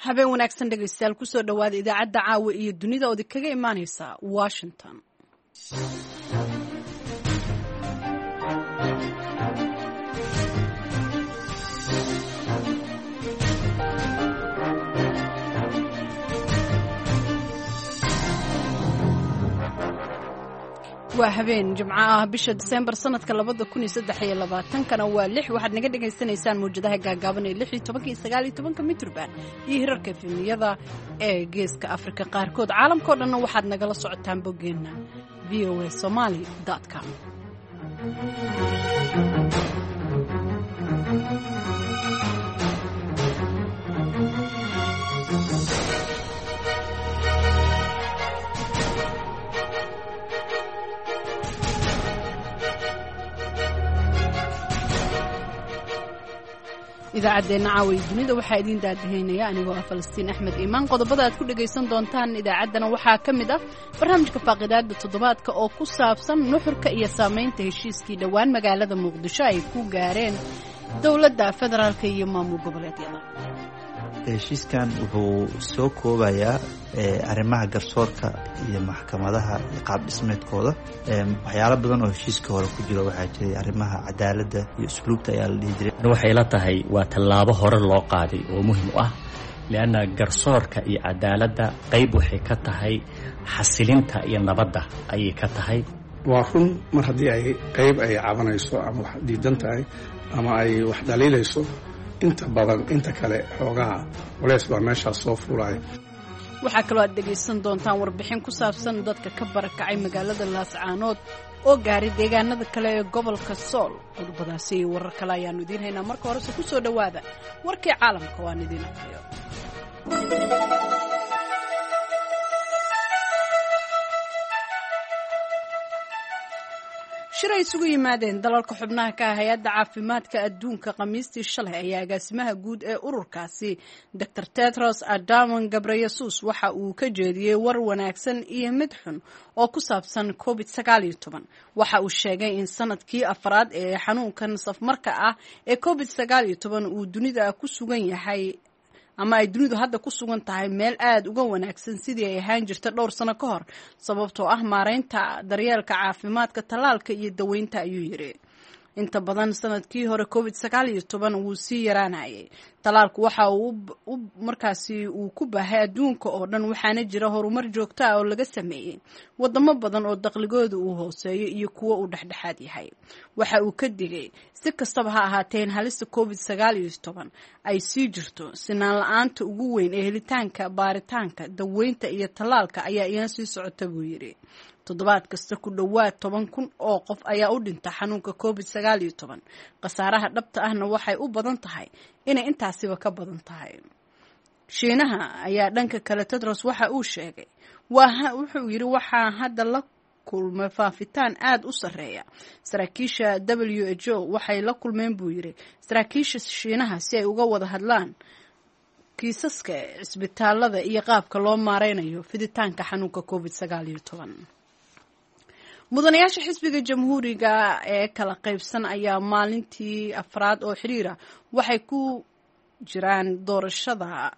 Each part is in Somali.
Habeen wanaagsan dhegaystayaal, kusoo dhowaada idaacadda caawa iyo dunida ood kaga imaaneysa Washington. Waa habeen Jimco ah, bisha Diseembar sanadka 2023-kana waa 6. Waxaad naga dhagaysanaysaan mawjadaha gaagaaban ee 16-ka iyo 19-ka mitrban iyo hirarka efemiyada ee Geeska Afrika qaarkood. Caalamkao dhanna waxaad nagala socotaan boggeenna voasomali com. Idaacaddeenna caawa iyo dunida waxaa idiin daadahaynaya anigoo ah Falastiin Axmed Iimaan. Qodobada aad ku dhegaysan doontaan idaacaddana waxaa ka mid ah barnaamijka faaqidaada toddobaadka oo ku saabsan nuxurka iyo saamaynta heshiiskii dhowaan magaalada Muqdisho ay ku gaareen dowladda federaalka iyo maamul goboleedyada. Heshiiskan wuxuu soo koobayaa arrimaha garsoorka iyo maxkamadaha iyo qaab dhismeedkooda. Waxyaalo badan oo heshiiska hore ku jiro waxaa jiray arrimaha cadaaladda iyo usluubta ayaa la dhihi jiray. Waxay la tahay waa tallaabo hore loo qaaday oo muhim u ah, lianna garsoorka iyo cadaaladda qayb waxay ka tahay xasilinta iyo nabadda ayay ka tahay. Waa run, mar haddii ay qayb ay cabanayso ama wax diidan tahay ama ay wax dhaliilayso, inta badan inta kale xoogaha culeys baa meeshaas soo fuulaya. Waxaa kaloo aad dhegaysan doontaan warbixin ku saabsan dadka ka barakacay magaalada Laascaanood oo gaaray deegaanada kale ee gobolka Sool. Qodobadaasi iyo warar kale ayaannu idiin haynaa. Marka horese ku soo dhowaada warkii caalamka waan idiin aqriyo. Shir ay isugu yimaadeen dalalka xubnaha ka ah Hay-adda Caafimaadka Adduunka Khamiistii shalay ayaa agaasimaha guud ee ururkaasi, Dr Tedros Adamon Gabreyesus, waxa uu ka jeediyey war wanaagsan iyo mid xun oo ku saabsan COVID 19. Waxa uu sheegay in sanadkii afraad ee xanuunkan safmarka ah ee COVID 19 uu dunida ku sugan yahay, ama ay dunidu hadda ku sugan tahay meel aada uga wanaagsan sidii ay ahaan jirta dhowr sano ka hor, sababtoo ah maareynta daryeelka caafimaadka, tallaalka iyo daweynta, ayuu yidhi. Inta badan sanadkii hore COVID 19 wuu sii yaraanayay. Tallaalku waxa uu markaasi uu ku baahay adduunka oo dhan, waxaana jira horumar joogto ah oo laga sameeyey wadamo badan oo daqligooda uu hooseeyo iyo kuwo uu dhexdhexaad yahay. Waxa uu ka digay, si kastaba ha ahaateen, halista COVID 19 ay sii jirto. Sinaan la-aanta ugu weyn ee helitaanka baaritaanka, daweynta iyo tallaalka ayaa iyana sii socota, buu yidhi. Toddobaad kasta ku dhowaad 10,000 oo qof ayaa u dhinta xanuunka COVID 19. Khasaaraha dhabta ahna waxay u badan tahay inay intaasiba ka badan tahay. Shiinaha ayaa dhanka kale Tedros waxa uu sheegay, wuxuu yidhi, waxaa hadda la kulmay faafitaan aada u sarreeya. Saraakiisha WHO waxay la kulmeen, buu yidhi, saraakiisha Shiinaha si ay uga wada hadlaan kiisaska cisbitaalada iyo qaabka loo maareynayo fiditaanka xanuunka COVID 19. Mudanayaasha xisbiga Jamhuuriga ee kala qaybsan ayaa maalintii afraad oo xiriira waxay ku jiraan doorashada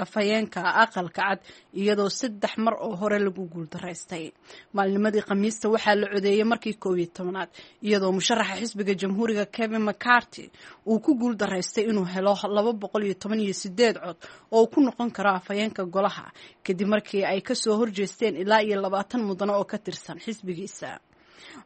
afhayeenka Aqalka Cad, iyadoo saddex mar oo hore lagu guuldaraystay. Maalinimadii Khamiista waxaa la codeeyey markii 11-aad, iyadoo musharaxa xisbiga Jamhuuriga Kevin McCarty uu ku guuldaraystay inuu helo 218 cod oo uu ku noqon karo afhayeenka golaha, kadib markii ay kasoo horjeesteen ilaa iyo 20 mudano oo ka tirsan xisbigiisa.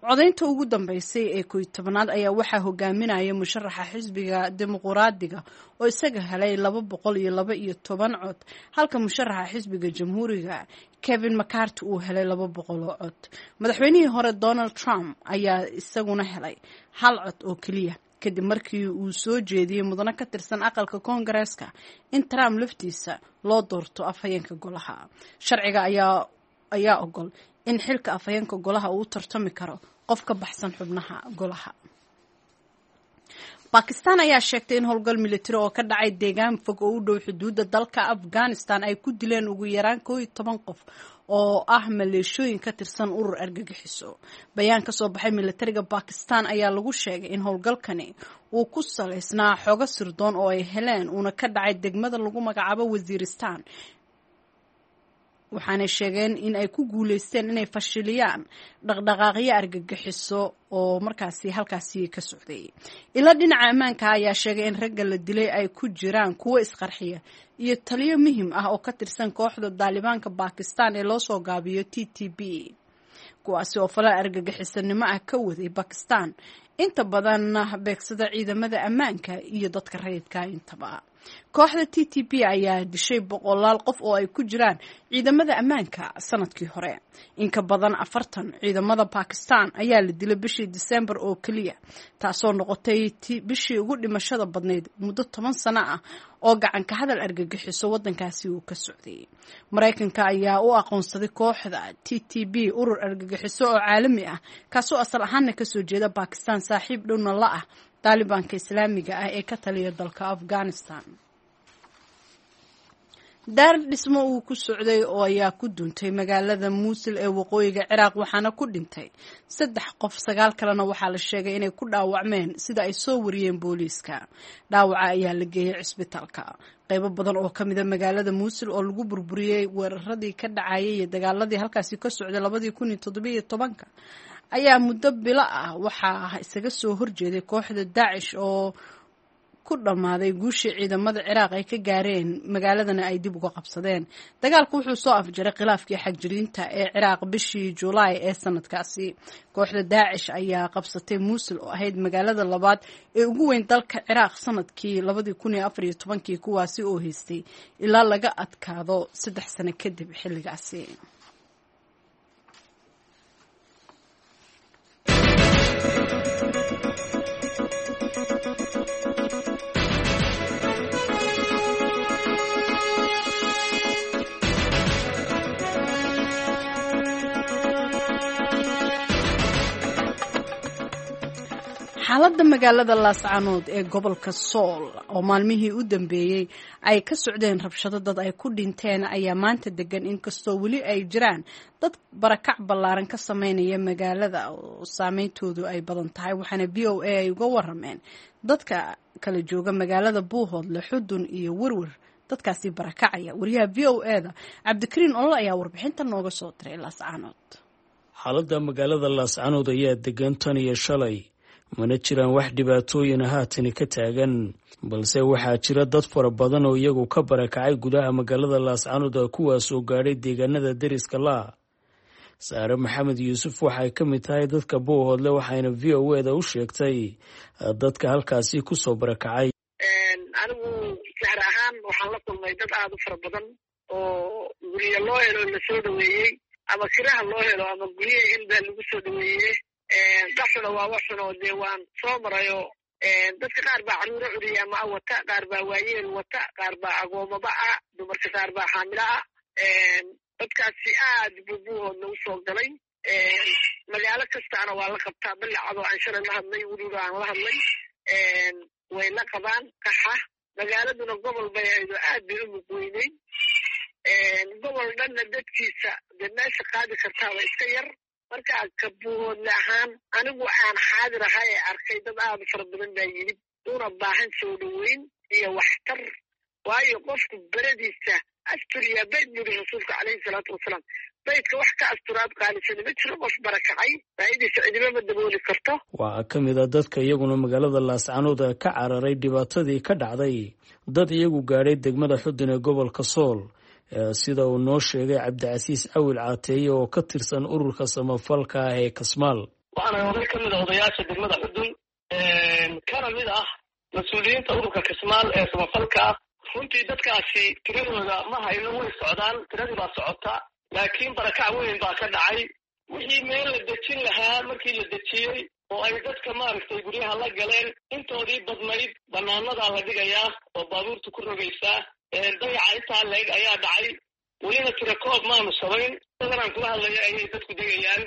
Codaynta ugu dambeysay ee 11-aad ayaa waxaa hogaaminaya musharaxa xisbiga Dimuquraadiga oo isaga helay 212 cod, halka musharaxa xisbiga Jamhuuriga Kevin McCarty uu helay 200 oo cod. Madaxweynihii hore Donald Trump ayaa isaguna helay hal cod oo keliya, kadib markii uu soo jeediyey mudano ka tirsan aqalka Koongareeska in Trump laftiisa loo doorto afhayeenka golaha. Sharciga ayaa ogol in xilka afhayeenka golaha uu u tartami karo qof ka baxsan xubnaha golaha. Bakistan ayaa sheegtay in howlgal militari oo ka dhacay deegaan fog oo u dhow xuduudda dalka Afghanistan ay ku dileen ugu yaraan 11 qof oo ah maleeshooyin ka tirsan urur argagixiso. Bayaan ka soo baxay militariga Bakistan ayaa lagu sheegay in howlgalkani uu ku salaysnaa xogo sirdoon oo ay heleen, uuna ka dhacay degmada lagu magacaabo Wasiiristan, waxaanay sheegeen in ay ku guuleysteen inay fashiliyaan dhaqdhaqaaqyo argagixiso oo markaasi halkaasi ka socday. Ila dhinaca ammaanka ayaa sheegay in ragga la dilay ay ku jiraan kuwo isqarxiya iyo taliyo muhiim ah oo ka tirsan kooxda Daalibaanka Bakistan ee loo soo gaabiyo TTP, kuwaasi oo falal argagixisanimo ah ka waday Bakistan, inta badanna beegsada ciidamada ammaanka iyo dadka rayidka intaba. Kooxda TTP ayaa dishay boqolaal qof oo ay ku jiraan ciidamada ammaanka sanadkii hore. In ka badan 40 ciidamada Bakistan ayaa la dilay bishii Disembar oo keliya, taasoo noqotay bishii ugu dhimashada badnayd muddo 10 sano ah oo gacanka hadal argagixiso waddankaasi uu ka socday. Maraykanka ayaa u aqoonsaday kooxda TTP urur argagixiso oo caalami ah, kaasoo asal ahaana kasoo jeeda Bakistan, saaxiib dhowna la ah Daalibaanka Islaamiga ah ee ka taliya dalka Afghanistan. Daar dhismo uu ku socday oo ayaa ku duntay magaalada Muusil ee waqooyiga Ciraaq, waxaana ku dhintay 3 qof, 9 kalena waxaa la sheegay inay ku dhaawacmeen, sida ay soo wariyeen booliiska. Dhaawaca ayaa la geeyey cisbitaalka. Qaybo badan oo ka mida magaalada Muusil oo lagu burburiyey weeraradii ka dhacayay iyo dagaaladii halkaasi ka socday 2017 ayaa muddo bilo ah waxaa isaga soo horjeeday kooxda Daacish oo ku dhammaaday guushii ciidamada Ciraaq ay ka gaareen magaaladana ay dib uga qabsadeen. Dagaalku wuxuu soo afjaray khilaafkii xagjiriinta ee Ciraaq bishii Julaay ee sanadkaasi. Kooxda Daacish ayaa qabsatay Muusil oo ahayd magaalada labaad ee ugu weyn dalka Ciraaq sanadkii 2014, kuwaasi oo haystay ilaa laga adkaado 3 sano kadib xilligaasi. Xaaladda magaalada Laascanood ee gobolka Sool oo maalmihii u dambeeyey ay ka socdeen rabshado dad ay ku dhinteen ayaa maanta degan, inkastoo weli ay jiraan dad barakac ballaaran ka sameynaya magaalada oo saameyntoodu ay badan tahay. Waxaana VOA ay uga warameen dadka kala jooga magaalada Buuhoodle, Xudun iyo Werwer dadkaasi barakacaya. Wariyaha VOA da Cabdikariin Olol ayaa warbixinta nooga soo diray Laascanood. Xaaladda magaalada Laascanood ayaa degan tan iyo shalay, mana jiraan wax dhibaatooyina haatani ka taagan, balse waxaa jira dad fara badan oo iyagu ka barakacay gudaha magaalada Laascanood, kuwaas oo gaadhay deegaanada deriska laa. Saare Maxamed Yuusuf waxay ka mid tahay dadka Buuhoodle, waxayna VOA da u sheegtay dadka halkaasi kusoo barakacay. Anigu sahar ahaan waxaan la kulmay dad aada u fara badan oo guryo loo helo lasoo dhaweeyey, ama kiraha loo helo ama guryaha in baa lagu soo dhaweeye. Dhaxuna waa waxun oo dee waan soo marayo. Dadka qaar baa caruuro curiya ama a wata, qaar baa waayeel wata, qaar baa agoomaba ah, dumarka qaar baa xaamilo ah. Dadkaasi aad buu Buuhoodna usoo galay. Magaalo kastaana waa la qabtaa. Ballicadoo aan shalay la hadlay, weliba aan la hadlay, way la qabaan qaxa. Magaaladuna gobol bay ahayd oo aad bay u mugweynay. Gobol dhanna dadkiisa dee meesha qaadi kartaaba iska yar. Markaa ka Buuhoodle ahaan anigu aan xaadir ahay ee arkay dad aada u fara badan baa yimid, una baahan soo dhaweyn iyo waxtar. Waayo qofku beradiisa asturiyaa bayd buu yidhi rasuulka caleyhi salaatu wasalaam, baydka wax ka asturaad qaalisani ma jiro. Qof barakacay baahidiisa cidima ma dabooli karto. Waxaa ka mid a dadka iyaguna magaalada Laascanood ka cararay dhibaatadii ka dhacday dad iyagu gaadhay degmada Xudun ee gobolka Sool, sida uu noo sheegay Cabdicasiis Awil Caateeye oo ka tirsan ururka samafalka ah ee Kasmaal. Waxaana oday ka mid a odayaasha degmada Xudun, kana mid ah mas-uuliyiinta ururka Kasmaal ee samafalka ah. Runtii dadkaasi tiradooda ma hayno, way socdaan, tiradii baa socota, laakiin barakac weyn baa ka dhacay. Wixii meel la dejin lahaa markii la dejiyey oo ay dadka maaragtay guryaha la galeen, intoodii badnayd banaanadaa la dhigayaa oo baabuurta ku rogaysaa. Dayaca intaa leeg ayaa dhacay, welina tirakoob maanu samayn. Dadanaan kula hadlaya ayay dadku degayaan,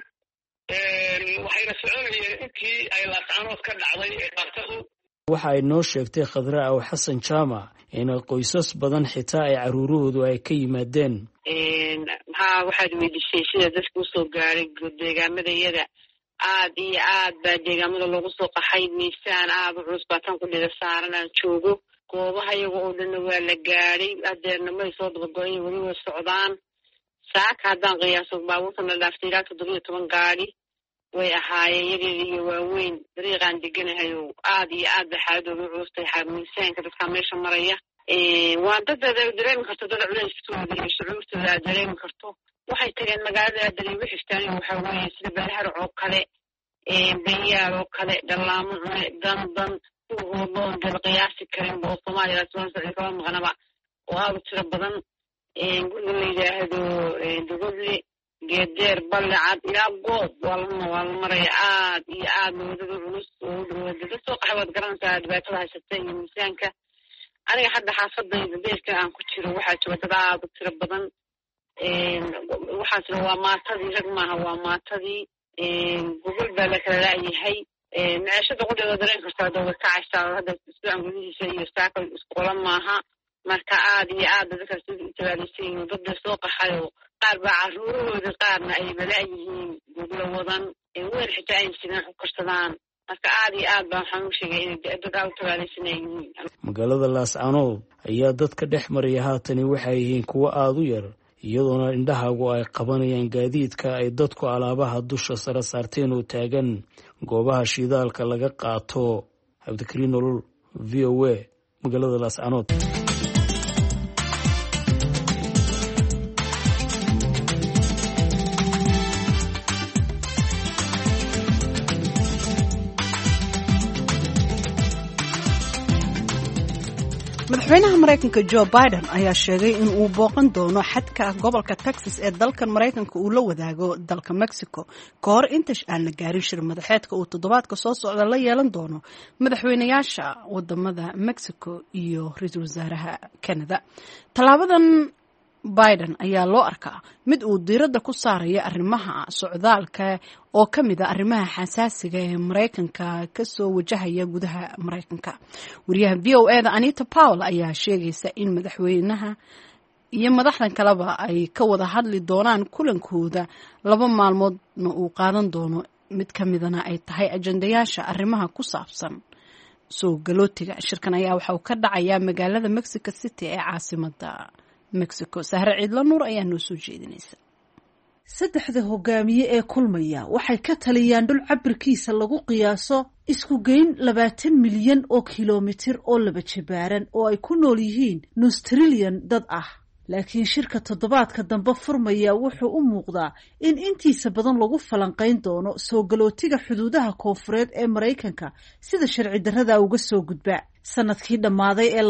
waxayna soconayeen intii ay Laascanood ka dhacday ee dhibaatadu. Waxa ay noo sheegtay Khadra Aw Xasan Jaamac in qoysas badan xitaa ay caruurahoodu ay ka yimaadeen. Maxaa waxaad weydiisay sida dadka usoo gaaray deegaamadayada? Aad iyo aad baa deegaamada loogu soo qaxay. Miisaan aada u culus baa tan kudhida saaran aan joogo. Goobaha iyaga oo dhanna waa la gaadhay, hadeerna may soo dabago-in, weli way socdaan. Saaka haddaan qiyaaso baabuurta la dhaaftay ilaa 17 gaadi way ahaayeen, yaryar iyo waaweyn. Dariiqaan deganahay oo aad iyo aad bay xaaladooda u culustay. Miisaanka dadkaa meesha maraya waa dad aad dareemi karto, dad culeyskooda iyo shucuurtooda aad dareemi karto. Waxay tageen magaalada aadalay ugu xigtaan, waxa weeye sida Beelharac oo kale, Benyaal oo kale, Dhallaamo Cune, Dandan, kuhoodloon dala qiyaasi karinba oo Soomaaliya socdi kama maqnaba oo aada u tiro badan. Guriga la yidhaahdo Dogodle, Geedeer, Ballecad ilaa Goob waa la maraya. Aad iyo aad wadada culus oo u dhawaada dad soo qaxay, waad garanaysaa dhibaatada haysata iyo miisaanka. Aniga hadda xaafadayda beerka aan ku jiro waxaa jooga dad aada u tiro badan. Waxaasna waa maatadii, rag maaha, waa maatadii. Gogol baa la kala laayahay. Maciishada qudheeda dareen kartaa dooda kacaysaa hadda isbuucan gudihiisa iyo saaka isqola maaha. Marka aad iyo aad dadkaas u tabaalaysan yihiin, dad bay soo qaxayoo qaar baa caruurahoodii qaarna ay balaayihiin, goglo wadan weel xitaa ay sidaan ku karsadaan. Marka aad iyo aad baa waxaan u sheegay inay dad aad u tabaalaysanay yihiin. Magaalada Laascanood ayaa dadka dhex maraya haatani waxay yihiin kuwo aada u yar, iyadoona indhahaagu ay qabanayaan gaadiidka ay dadku alaabaha dusha sare saarteen oo taagan goobaha shidaalka laga qaato. Cabdikariin Nolol, V O A, magaalada Laascanood. Madaxweynaha Maraykanka Jo Biden ayaa sheegay in uu booqan doono xadka gobolka Texas ee dalkan Maraykanka uu la wadaago dalka Mexico ka hor inta aan la gaarin shir madaxeedka uu toddobaadka soo socda la yeelan doono madaxweynayaasha wadamada Mexico iyo ra-iisul wasaaraha Canada. Tallaabadan Biden ayaa loo arkaa mid uu diiradda ku saarayo arrimaha socdaalka oo ka mid a arrimaha xasaasiga ee Maraykanka kasoo wajahaya gudaha Maraykanka. Wariyaha V O E da Anita Powell ayaa sheegaysa in madaxweynaha iyo madaxdan kaleba ay ka wada hadli doonaan kulankooda 2 maalmoodna uu qaadan doono, mid ka midana ay tahay ajandayaasha arrimaha ku saabsan soo galootiga. Shirkan ayaa waxa uu ka dhacayaa magaalada Mexico City ee caasimada Mexico. Sahre Ciidla Nuur ayaa noo soo jeedinaysa. Saddexda hogaamiye ee kulmaya waxay ka taliyaan dhul cabirkiisa lagu qiyaaso isku geyn 20 milyan oo kilomitir oo laba jibaaran oo ay ku nool yihiin nus trilyan dad ah. Laakiin shirka toddobaadka dambe furmaya wuxuu u muuqdaa in intiisa badan lagu falanqayn doono soo galootiga xuduudaha koonfureed ee Maraykanka sida sharci darrada uga soo gudba. Sanadkii dhammaaday ee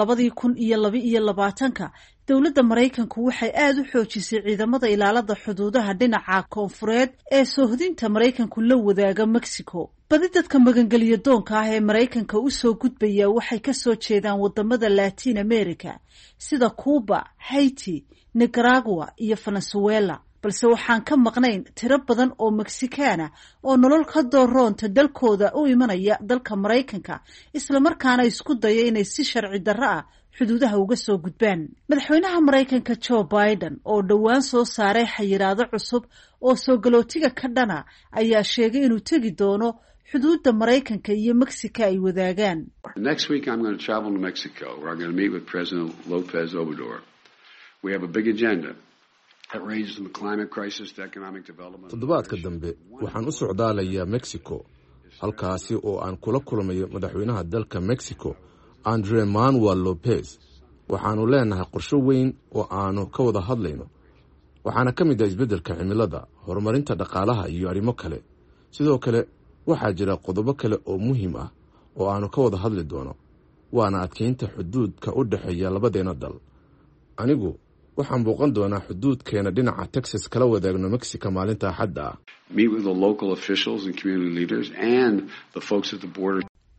2022-ka dowladda Maraykanku waxay aada u xoojisay ciidamada ilaalada xuduudaha dhinaca koonfureed ee soohdinta Maraykanku la wadaaga Mexico. Badi dadka magangeliya doonka ah ee Maraykanka u soo gudbaya waxay ka soo jeedaan wadamada Latin America sida Cuba, Haiti, Nicaragua iyo Venezuela. Balse waxaan ka maqnayn tiro badan oo Mexikaana oo nolol ka dooroonta dalkooda u imanaya dalka Maraykanka, islamarkaana isku daya inay si sharci darro ah xuduudaha uga soo gudbaan. Madaxweynaha Maraykanka Jo Biden oo dhowaan soo saaray xayiraado cusub oo soo galootiga ka dhana ayaa sheegay inuu tegi doono xuduudda Maraykanka iyo Mexico ay wadaagaan. Next week I'm going to travel to Mexico where I'm going to meet with President Lopez Obrador. We have a big agenda. Toddobaadka dambe waxaan u socdaalayaa Mexico, halkaasi oo aan kula kulmayo madaxweynaha dalka Mexico Andre Manuel Lopez. Waxaannu leenahay qorsho weyn oo aanu ka wada hadlayno, waxaana ka mid ah isbeddelka cimilada, horumarinta dhaqaalaha iyo arrimo kale. Sidoo kale waxaa jira qodobo kale oo muhiim ah oo aanu ka wada hadli doono, waana adkeynta xuduudka u dhexeeya labadeenna dal. Anigu waxaan booqan doonaa xuduudkeena dhinaca Texas kala wadaagno Mexico maalinta Axadda ah.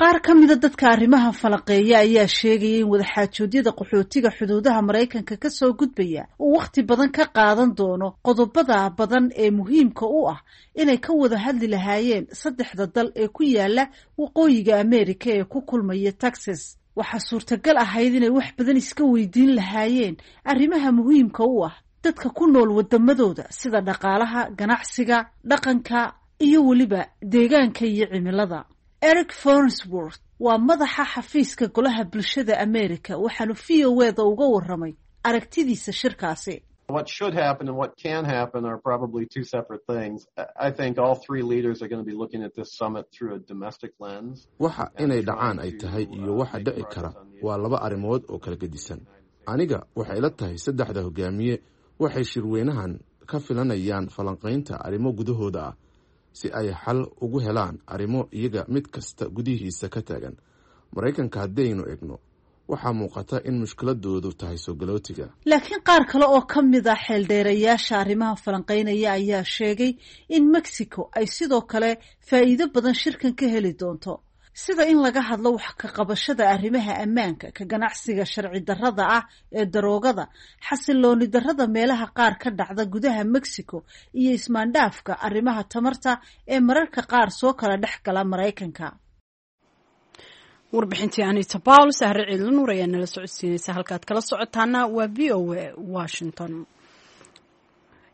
Qaar ka mida dadka arrimaha falanqeeya ayaa sheegaya in wadaxaajoodyada qaxootiga xuduudaha Maraykanka ka soo gudbaya uu wakhti badan ka qaadan doono qodobada badan ee muhiimka u ah inay ka wada hadli lahaayeen saddexda dal ee ku yaala waqooyiga Ameerika ee ku kulmaya Texas. Waxaa suurtagal ahayd inay wax badan iska weydiin lahaayeen arrimaha muhiimka u ah dadka ku nool wadamadooda, sida dhaqaalaha, ganacsiga, dhaqanka iyo weliba deegaanka iyo cimilada. Eric Farnsworth waa madaxa xafiiska Golaha Bulshada America, waxaanu VOA-da uga waramay aragtidiisa shirkaasi. What should happen and what can happen are probably two separate things. I think all three leaders are going to be looking at this summit through a domestic lens. Waxa inay dhacaan ay tahay iyo waxa dhici kara waa laba arrimood oo kala gedisan. Aniga waxay ila tahay saddexda hogaamiye waxay shirweynahan ka filanayaan falanqaynta arrimo gudahooda ah si ay xal ugu helaan arrimo iyaga mid kasta gudihiisa ka taagan. Maraykanka haddaynu egno, waxaa muuqata in mushkiladoodu tahay soo galootiga. Laakiin qaar kale oo ka mid ah xeeldheerayaasha arrimaha falanqaynaya ayaa sheegay in Mexico ay sidoo kale faa'iido badan shirkan ka heli doonto, sida in laga hadlo wax ka qabashada arrimaha ammaanka, ka ganacsiga sharci darrada ah ee daroogada, xasilooni darrada meelaha qaar ka dhacda gudaha Mexico iyo ismaandhaafka arrimaha tamarta ee mararka qaar soo kala dhex gala Maraykanka. Warbixintii Anita Paul, Sahre Ciidla Nuur ayaa nala socodsiinaysa. Halkaad kala socotaana waa VOA Washington.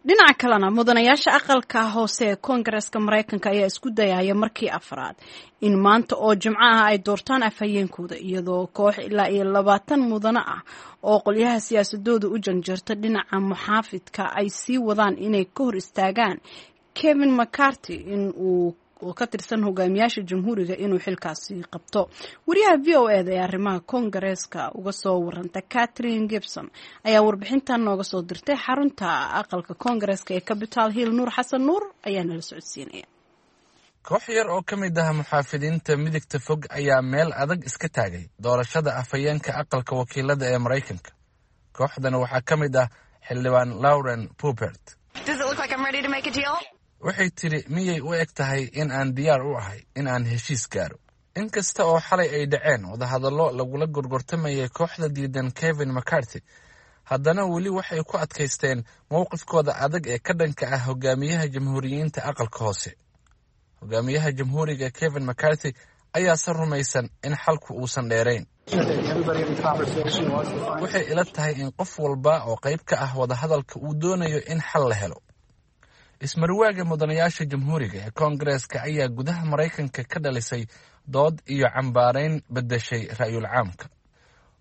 Dhinaca kalena, mudanayaasha aqalka hoose ee Koongareeska Maraykanka ayaa isku dayaya markii afraad in maanta oo Jimco ah ay doortaan afhayeenkooda, iyadoo koox ilaa iyo 20 mudano ah oo qolyaha siyaasadooda u janjeerta dhinaca muxaafidka ay sii wadaan inay ka hor istaagaan Kevin McCarthy in uu oo ka tirsan hogaamiyaasha Jamhuuriga inuu xilkaasi qabto. Wariyaha VOA-da ee arrimaha Koongareeska uga soo waranta, Catherine Gibson, ayaa warbixintan nooga soo dirtay xarunta aqalka Koongareeska ee Capitol Hill. Nuur Xasan Nuur ayaa nala socodsiinaya. Koox yar oo ka mid ah muxaafidiinta midigta fog ayaa meel adag iska taagay doorashada afhayeenka Aqalka Wakiilada ee Maraykanka. Kooxdan waxaa ka mid ah xildhibaan Lauren Boebert. Waxay tidhi: "Miyay u eg tahay in aan diyaar u ahay in aan heshiis gaaro?" In kasta oo xalay ay dhaceen wadahadallo lagula gorgortamayay kooxda diidan Kevin McCarthy, haddana weli waxay ku adkaysteen mowqifkooda adag ee ka dhanka ah hogaamiyaha Jamhuuriyiinta aqalka hoose. Hogaamiyaha Jamhuuriga Kevin McCarthy ayaase rumaysan in xalku uusan dheerayn. "Waxay ila tahay in qof walba oo qayb ka ah wadahadalka uu doonayo in xal la helo." Ismarwaaga mudanayaasha Jamhuuriga ee Koongareeska ayaa gudaha Maraykanka ka dhalisay dood iyo cambaarayn beddeshay ra'yul caamka.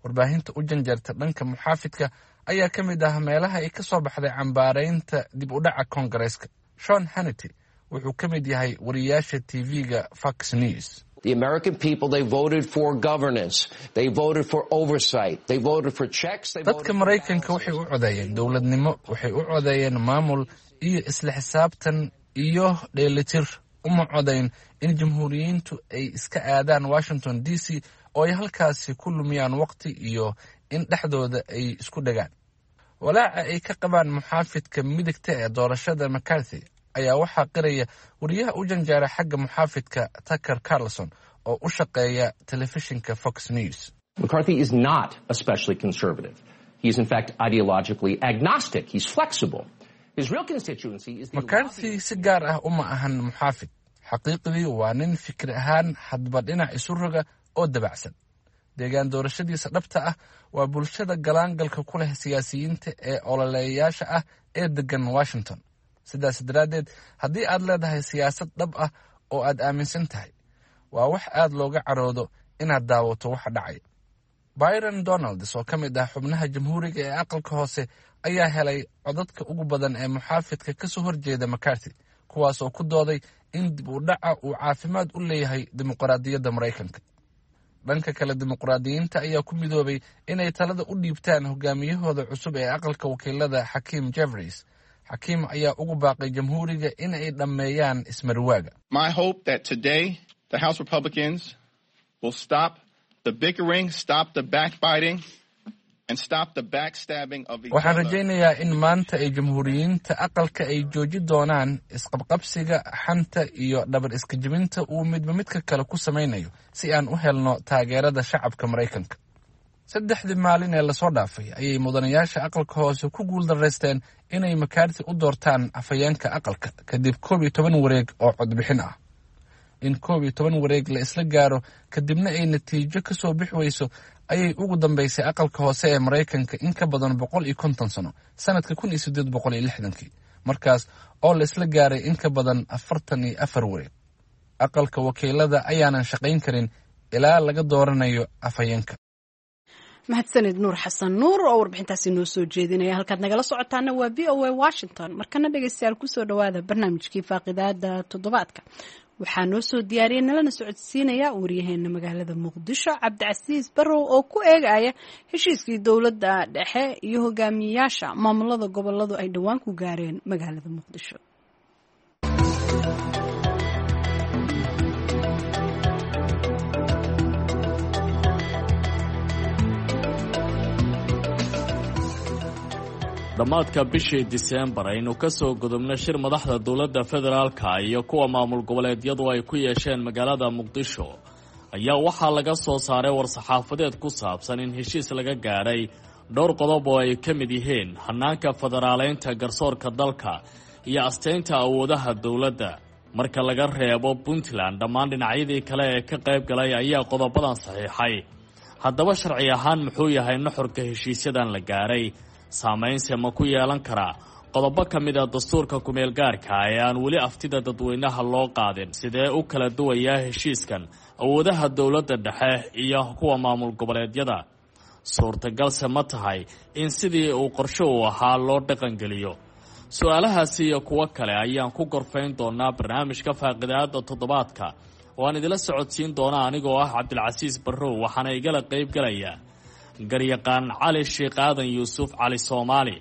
Warbaahinta u janjeerta dhanka muxaafidka ayaa ka mid ah meelaha ay ka soo baxday cambaaraynta dib u dhaca Koongareeska. Sean Hannity wuxuu ka mid yahay wariyaasha TV-ga Fox News. The American people, they voted for governance. They voted for oversight. They voted for checks. They Dadka Maraykanka waxay u codeeyeen dowladnimo, waxay u codeeyeen maamul iyo isla xisaabtan iyo dheelitir. Uma codayn in Jamhuuriyiintu ay iska aadaan Washington DC oo ay halkaasi ku lumiyaan waqti iyo in dhexdooda ay isku dhagaan. Walaaca ay ka qabaan muxaafidka midigta ee doorashada McCarthy ayaa waxaa qiraya wariyaha u janjeera xagga muxaafidka, Tucker Carlson, oo u shaqeeya telefishinka Fox News. McCarthy is not especially conservative. He is in fact ideologically agnostic. He's flexible. His real constituency is the McCarthy si gaar ah uma ahan muxaafid. Xaqiiqdii waa nin fikir ahaan hadba dhinac isu roga oo dabacsan. Deegaan doorashadiisa dhabta ah waa bulshada galaangalka ku leh siyaasiyiinta ee ololeeyayaasha ah ee degan Washington. Sidaas daraaddeed, haddii aad leedahay siyaasad dhab ah oo aad aaminsan tahay, waa wax aad looga caroodo inaad daawato waxa dhacaya. Byron Donalds oo ka mid ah xubnaha Jamhuuriga ee aqalka hoose ayaa helay codadka ugu badan ee muxaafidka ka soo horjeeda McCarthy, kuwaas oo ku dooday in dib u dhaca uu caafimaad u leeyahay dimuqraadiyadda Maraykanka. Dhanka kale, dimuqraadiyiinta ayaa ku midoobay inay talada u dhiibtaan hogaamiyahooda cusub ee Aqalka Wakiilada, Xakiim Jeffries. Xakiim ayaa ugu baaqay Jamhuuriga in ay dhammeeyaan ismarwaaga. My hope that today the House Republicans will stop the bickering, stop the backbiting, and stop the backstabbing of each Waxaan other. rajaynayaa in maanta ay jamhuuriyiinta aqalka ay jooji doonaan isqabqabsiga, xanta iyo dhabar iska jebinta uu midba midka kale ku samaynayo si aan u helno taageerada shacabka Maraykanka. Saddexdii maalin ee lasoo dhaafay ayay mudanayaasha aqalka hoose ku guuldaraysteen inay McCarthy u doortaan afhayeenka aqalka kadib 11 wareeg oo codbixin ah. In 11 wareeg la isla gaaro kadibna ay natiijo ka soo bixi weyso ayay ugu dambeysay aqalka hoose ee Maraykanka in ka badan 150 sano, sanadka 1860-kii, markaas oo la isla gaaray in ka badan 44 wareeg. Aqalka wakiilada ayaanan shaqayn karin ilaa laga dooranayo afhayeenka. Mahadsanid Nuur Xasan Nuur oo warbixintaasi noo soo jeedinaya. Halkaad nagala socotaana waa VOA Washington. Markana dhegeystayaal, kusoo dhowaada barnaamijkii faaqidaada toddobaadka. Waxaa noo soo diyaariyay nalana socodsiinaya waryaheena magaalada Muqdisho, Cabdicasiis Barrow, oo ku eegaya heshiiskii dowladda dhexe iyo hogaamiyayaasha maamulada goboladu ay dhowaan ku gaareen magaalada Muqdisho. Dhammaadka bishii Diseembar aynu ka soo gudubno, shir madaxda dowladda federaalka iyo kuwa maamul goboleedyadu ay ku yeesheen magaalada Muqdisho ayaa waxaa laga soo saaray war-saxaafadeed ku saabsan in heshiis laga gaadhay dhowr qodob oo ay ka mid yihiin hanaanka federaaleynta garsoorka dalka iyo asteynta awoodaha dowladda. Marka laga reebo Puntland, dhammaan dhinacyadii kale ee ka qayb galay ayaa qodobadan saxiixay. Haddaba sharci ahaan muxuu yahay nuxurka heshiisyadan la gaaray? Saamaynse ma ku yeelan karaa qodobo ka mid a dastuurka kumeel gaarka ee aan weli aftida dadweynaha loo qaadin? Sidee u kala duwayaa heshiiskan awoodaha dowladda dhexe iyo kuwa maamul goboleedyada? Suurtagalse ma tahay in sidii uu qorsho uu ahaa loo dhaqangeliyo? Su-aalahaasi iyo kuwo kale ayaan ku gorfayn doonaa barnaamijka faaqidaada toddobaadka oo aan idila socodsiin doona anigoo ah Cabdilcasiis Barrow. Waxaana igala qayb galaya garyaqaan Cali Sheekh Aadan Yuusuf Cali Soomaali,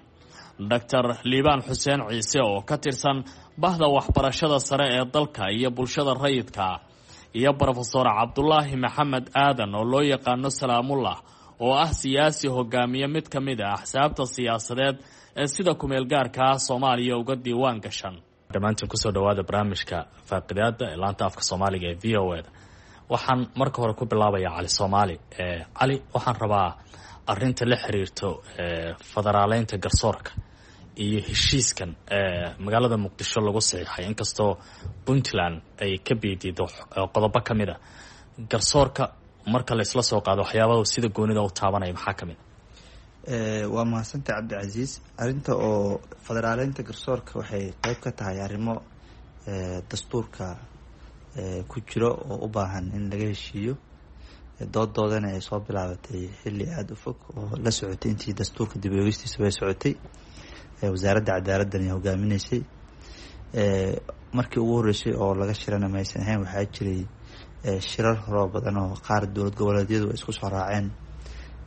Doctor Liibaan Xuseen Ciise oo ka tirsan bahda waxbarashada sare ee dalka iyo bulshada rayidka, iyo Brofesor Cabdulaahi Maxamed Aadan oo loo yaqaano Salaamullah, oo ah siyaasi hogaamiye mid ka mid ah axsaabta siyaasadeed ee sida kumeel gaarka ah Soomaaliya uga diiwaan gashan. Dhammaantiin kusoo dhawaada barnaamijka faaqidaada ee laanta afka Soomaaliga ee VOA da. Waxaan marka hore ku bilaabayaa Cali Soomaali. Cali, waxaan rabaa arinta la xiriirto federaaleynta garsoorka iyo heshiiskan magaalada Muqdisho lagu saxiixay, inkastoo Puntland ay ka biidiido qodobo ka mid a. Garsoorka marka la isla soo qaado, waxyaabada sida goonida u taabanaya maxaa ka mid a? Waa mahadsantay, Cabdicasiis. Arrinta oo federaaleynta garsoorka waxay qeyb ka tahay arrimo dastuurka ku jiro oo u baahan in laga heshiiyo. Dooddoodana ay soo bilaabatay xilli aada u fog oo la socotay intii dastuurka dib eegistiisa bay socotay, wasaaradda cadaaladdan ay hogaaminaysay. Markii ugu horreysay oo laga shirana maysan ahayn, waxaa jiray shirar horoo badan oo qaar dowlad goboleedyadu ay isku soo raaceen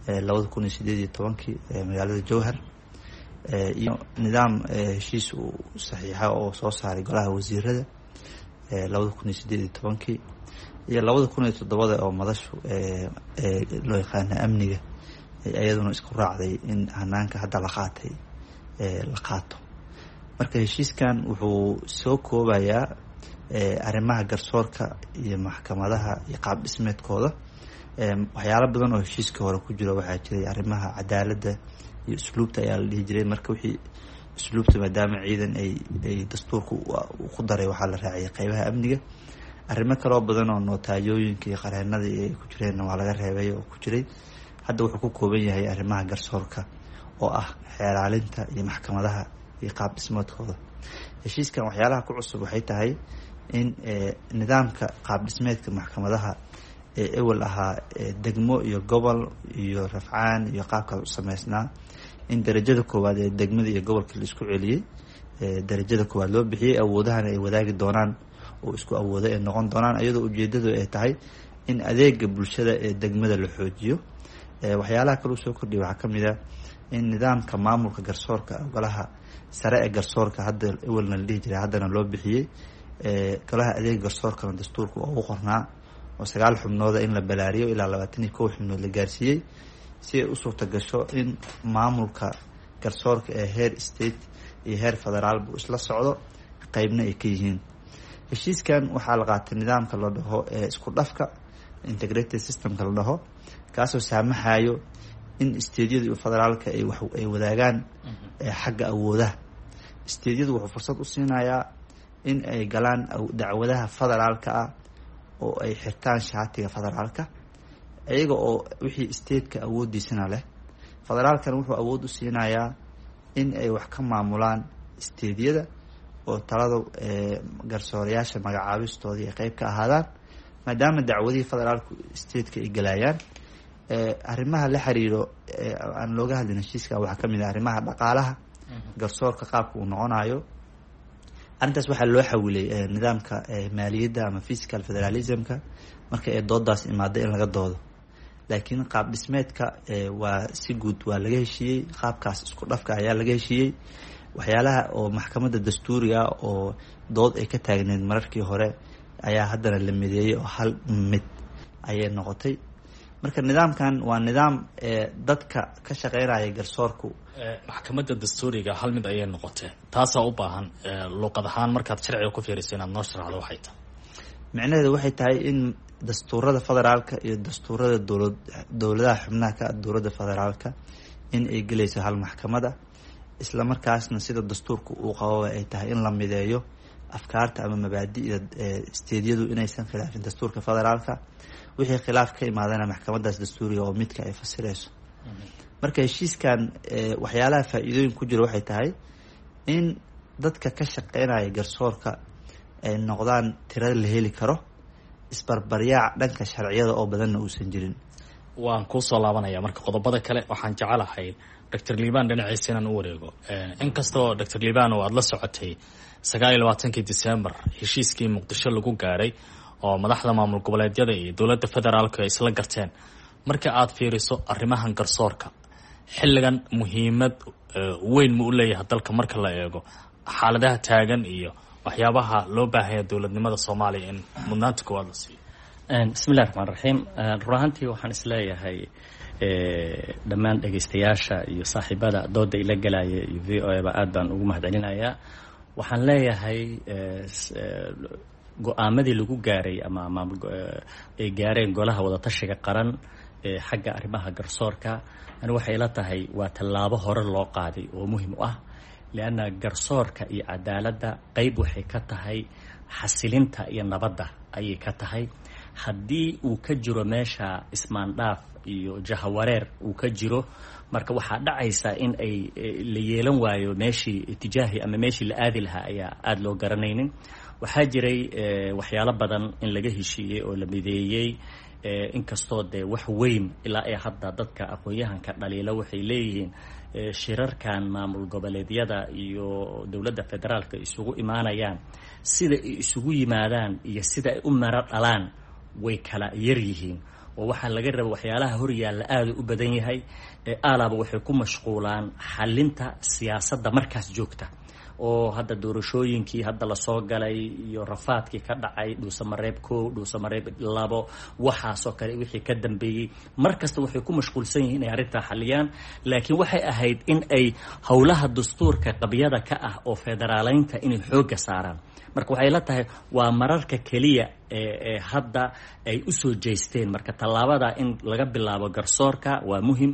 2018-kii magaalada Jowhar, iyo nidaam heshiis uu saxiixa oo soo saaray golaha wasiirada 2018-kii iyo 2007-da oo madashu loo yaqaana amniga iyaduna isku raacday in hanaanka hadda la qaatay la qaato. Marka heshiiskan wuxuu soo koobayaa arrimaha garsoorka iyo maxkamadaha iyo qaab dhismeedkooda. Waxyaalo badan oo heshiiska hore ku jiro waxaa jiray arrimaha cadaaladda iyo usluubta ayaa la dhihi jiray. Marka wixii usluubta, maadaama ciidan ay dastuurka ku daray, waxaa la raaciyay qeybaha amniga. Arrimo kaloo badan oo notaayooyinka iyo qareenada ay ku jireenna waa laga reebay oo ku jiray. Hadda wuxuu ku kooban yahay arrimaha garsoorka oo ah xeelaalinta iyo maxkamadaha iyo qaab dhismeedkooda. Heshiiskan waxyaalaha ku cusub waxay tahay in nidaamka qaab dhismeedka maxkamadaha ee ewel ahaa degmo iyo gobol iyo rafcaan iyo qaabkaas u sameysnaa, in darajada koowaad ee degmada iyo gobolka la isku celiyey, darajada koowaad loo bixiyey, awoodahana ay wadaagi doonaan oo isku awoodo ay noqon doonaan, iyadoo ujeedadu ay tahay in adeega bulshada ee degmada la xoojiyo. Waxyaalaha kale uu soo kordhiyay waxaa kamid a in nidaamka maamulka garsoorka, golaha sare ee garsoorka hadda ewelna la dhihi jiray haddana loo bixiyey golaha adeega garsoorkana dastuurka ugu qornaa oo 9 xubnooda in la balaariyo ilaa 21 xubnood la gaarsiiyey. si ay u suurta gasho in maamulka garsoorka ee heer state iyo heer federaalba isla socdo, qeybna ay ka yihiin. Heshiiskan waxaa la qaatay nidaamka la dhaho ee isku dhafka, integrated systemka la dhaho, kaasoo saamaxayo in stateyadu iyo federaalka ay wadaagaan xagga awoodaha. Stateyadu wuxuu fursad u siinayaa in ay galaan dacwadaha federaalka ah oo ay xirtaan shaatiga federaalka, iyaga oo wixii stateka awoodiisana leh. Federaalkana wuxuu awood u siinayaa in ay wax ka maamulaan stateyada oo talada garsoorayaasha magacaabistoodii ay qeyb ka ahaadaan, maadaama dacwadihii federaalku stateka ay galayaan. Arrimaha la xiriiro aan looga hadlin heshiiska waxaa kamid ah arrimaha dhaqaalaha garsoorka, qaabka uu noqonayo. Arrintaas waxaa loo xawilay nidaamka maaliyadda ama fiscal federalismka marka ay doodaas imaado in laga doodo, laakiin qaab dhismeedka waa si guud waa laga heshiiyey. Qaabkaas isku dhafka ayaa laga heshiiyey. Waxyaalaha oo maxkamadda dastuuriga oo dood ay ka taagneyd mararkii hore ayaa haddana la mideeyey oo hal mid ayay noqotay. Marka nidaamkan waa nidaam dadka ka shaqeynaya garsoorku. Maxkamadda dastuuriga hal mid ayay noqotee, taasaa u baahan luuqad ahaan markaad sharciga ku fiiriso inaad noo sharaxdo waxay tahay. Micnaheedu waxay tahay in dastuurada federaalka iyo dastuurada dowladaha xubnaha ka dowladda federaalka in ay gelayso hal maxkamada, isla markaasna sida dastuurka uu qababa ay tahay in la mideeyo afkaarta ama mabaadi'da stateyadu inaysan khilaafin dastuurka federaalka. Wixii khilaaf ka imaadana maxkamadaas dastuuriga oo midka ay fasirayso. Marka heshiiskan waxyaalaha faa-iidooyin ku jira waxay tahay in dadka ka shaqeynaya garsoorka ay noqdaan tirada la heli karo, isbarbaryaac dhanka sharciyada oo badanna uusan jirin. Waan kuusoo laabanaya marka qodobada kale. Waxaan jecelahay Doctor Liban dhinaciisa inaan u wareego. Inkastoo Doctor Liban oo aada la socotay 29-kii December heshiiskii Muqdisho lagu gaaray oo madaxda maamul goboleedyada iyo dowladda federaalku ay isla garteen, marka aad fiiriso arrimahan garsoorka xilligan muhiimad weyn ma u leeyahay dalka marka la eego xaaladaha taagan iyo waxyaabaha loo baahanya dowladnimada Soomaaliya in mudnaanta koowaad la siiyo? Bismillahi raxmaan raxiim. Run ahaantii waxaan isleeyahay dhammaan dhegaystayaasha iyo saaxiibada dooda ila galaya iyo VOA ba aad baan ugu mahadcelinayaa. Waxaan leeyahay go-aamadii lagu gaaray ama maamul ay gaareen golaha wadatashiga qaran ee xagga arrimaha garsoorka, ani waxay ila tahay waa tallaabo hore loo qaaday oo muhim u ah, lianna garsoorka iyo cadaaladda qeyb waxay ka tahay xasilinta iyo nabadda ayay ka tahay. Haddii uu ka jiro meesha ismaandhaaf iyo jahawareer uu ka jiro, marka waxaa dhacaysa in ay la yeelan waayo meeshii itijaahi ama meeshii la aadi lahaa ayaa aada loo garanaynin. Waxaa jiray waxyaalo badan in laga heshiiyey oo la mideeyey, inkastoo dee wax weyn ilaa ay hadda dadka aqoon-yahanka dhaliila waxay leeyihiin shirarkan maamul goboleedyada iyo dowladda federaalka isugu imaanayaan, sida ay isugu yimaadaan iyo sida ay u maro dhalaan way kala yar yihiin, oo waxaa laga raba waxyaalaha horyaalla aada u badan yahay. Alaaba waxay ku mashquulaan xalinta siyaasadda markaas joogta, oo hadda doorashooyinkii hadda lasoo galay iyo rafaadkii ka dhacay Dhuusamareeb 1, Dhuusamareeb 2, waxaasoo kale wixii ka dambeeyey, mar kasta waxay ku mashquulsan yihiin inay arrintaa xaliyaan. Laakiin waxay ahayd in ay howlaha dastuurka qabyada ka ah oo federaaleynta inay xoogga saaraan. Marka waxay la tahay waa mararka keliya ee hadda ay usoo jeesteen. Marka tallaabada in laga bilaabo garsoorka waa muhim.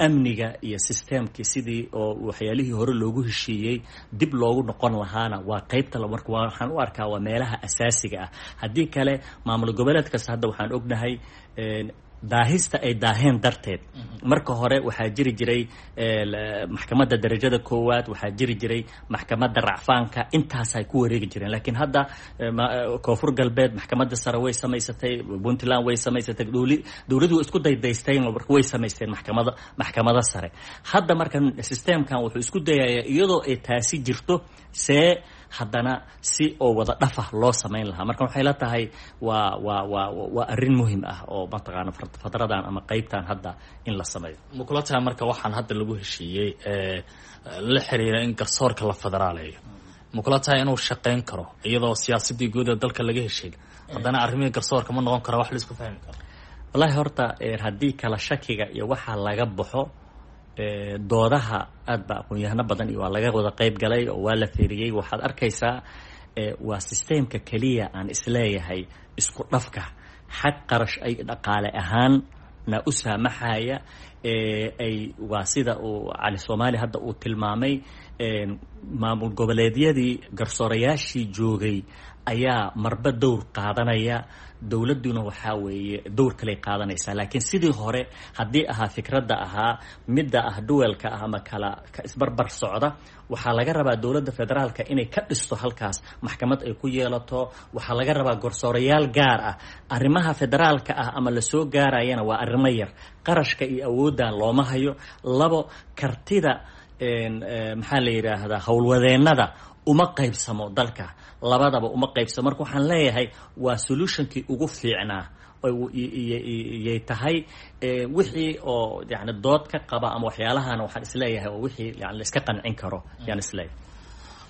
Amniga iyo systemkii sidii oo waxyaalihii hore loogu heshiiyey dib loogu noqon lahaana waa qeybta. Marka waxaan u arkaa waa meelaha asaasiga ah. Haddii kale maamul goboleed kasta hadda waxaan ognahay daahista ay daaheen darteed. Marka hore waxaa jiri jiray maxkamadda darajada koowaad, waxaa jiri jiray maxkamadda racfaanka, intaasay ku wareegi jireen. Laakiin hadda Koonfur Galbeed maxkamadda sare way samaysatay, Puntland way samaysatay, dowladdu way isku daydaysteen, way samaysteen maxkamada sare. Hadda marka systemkan wuxuu isku dayayaa iyadoo ay taasi jirto see haddana si oo wada dhafah loo samayn lahaa. Marka waxay la tahay waa arrin muhim ah oo mataqaana fadradan ama qeybtan hadda in la sameeyo. Ma kula tahay marka waxaan hadda lagu heshiiyey la xiriira in garsoorka la federaaleeyo, ma kula tahay inuu shaqeyn karo iyadoo siyaasadii guud ee dalka laga heshiin, haddana arrimihii garsoorka ma noqon kara wax la isku fahmi karo? Wallahi horta haddii kala shakiga iyo waxaa laga baxo, doodaha aad ba aqoon-yahano badan iyo waa laga wada qeyb galay oo waa la feeriyey. Waxaad arkaysaa waa systemka keliya aan isleeyahay isku dhafka xag qarash ay dhaqaale ahaan na u saamaxaya, ay waa sida uu Cali Soomaali hadda uu tilmaamay, maamul goboleedyadii garsoorayaashii joogay ayaa marba dowr qaadanaya, dowladduna waxaa weeye dowr kaley qaadanaysaa. Laakiin sidii hore haddii ahaa fikradda ahaa midda ah duwelka ah ama kala ka isbarbar socda, waxaa laga rabaa dowladda federaalka inay ka dhisto halkaas maxkamad ay ku yeelato. Waxaa laga rabaa garsoorayaal gaar ah. Arrimaha federaalka ah ama lasoo gaarayana waa arrimo yar, qarashka iyo awooddan looma hayo. Labo, kartida maxaa la yidhaahdaa howlwadeennada uma qaybsamo dalka, labadaba uma qaybsamo. Marka waxaan leeyahay waa solutionkii ugu fiicnaa yay tahay. Wixii oo yani dood ka qaba ama waxyaalahana waxaan isleeyahay oo wixii yani la iska qancin karo yaan isleeyahay.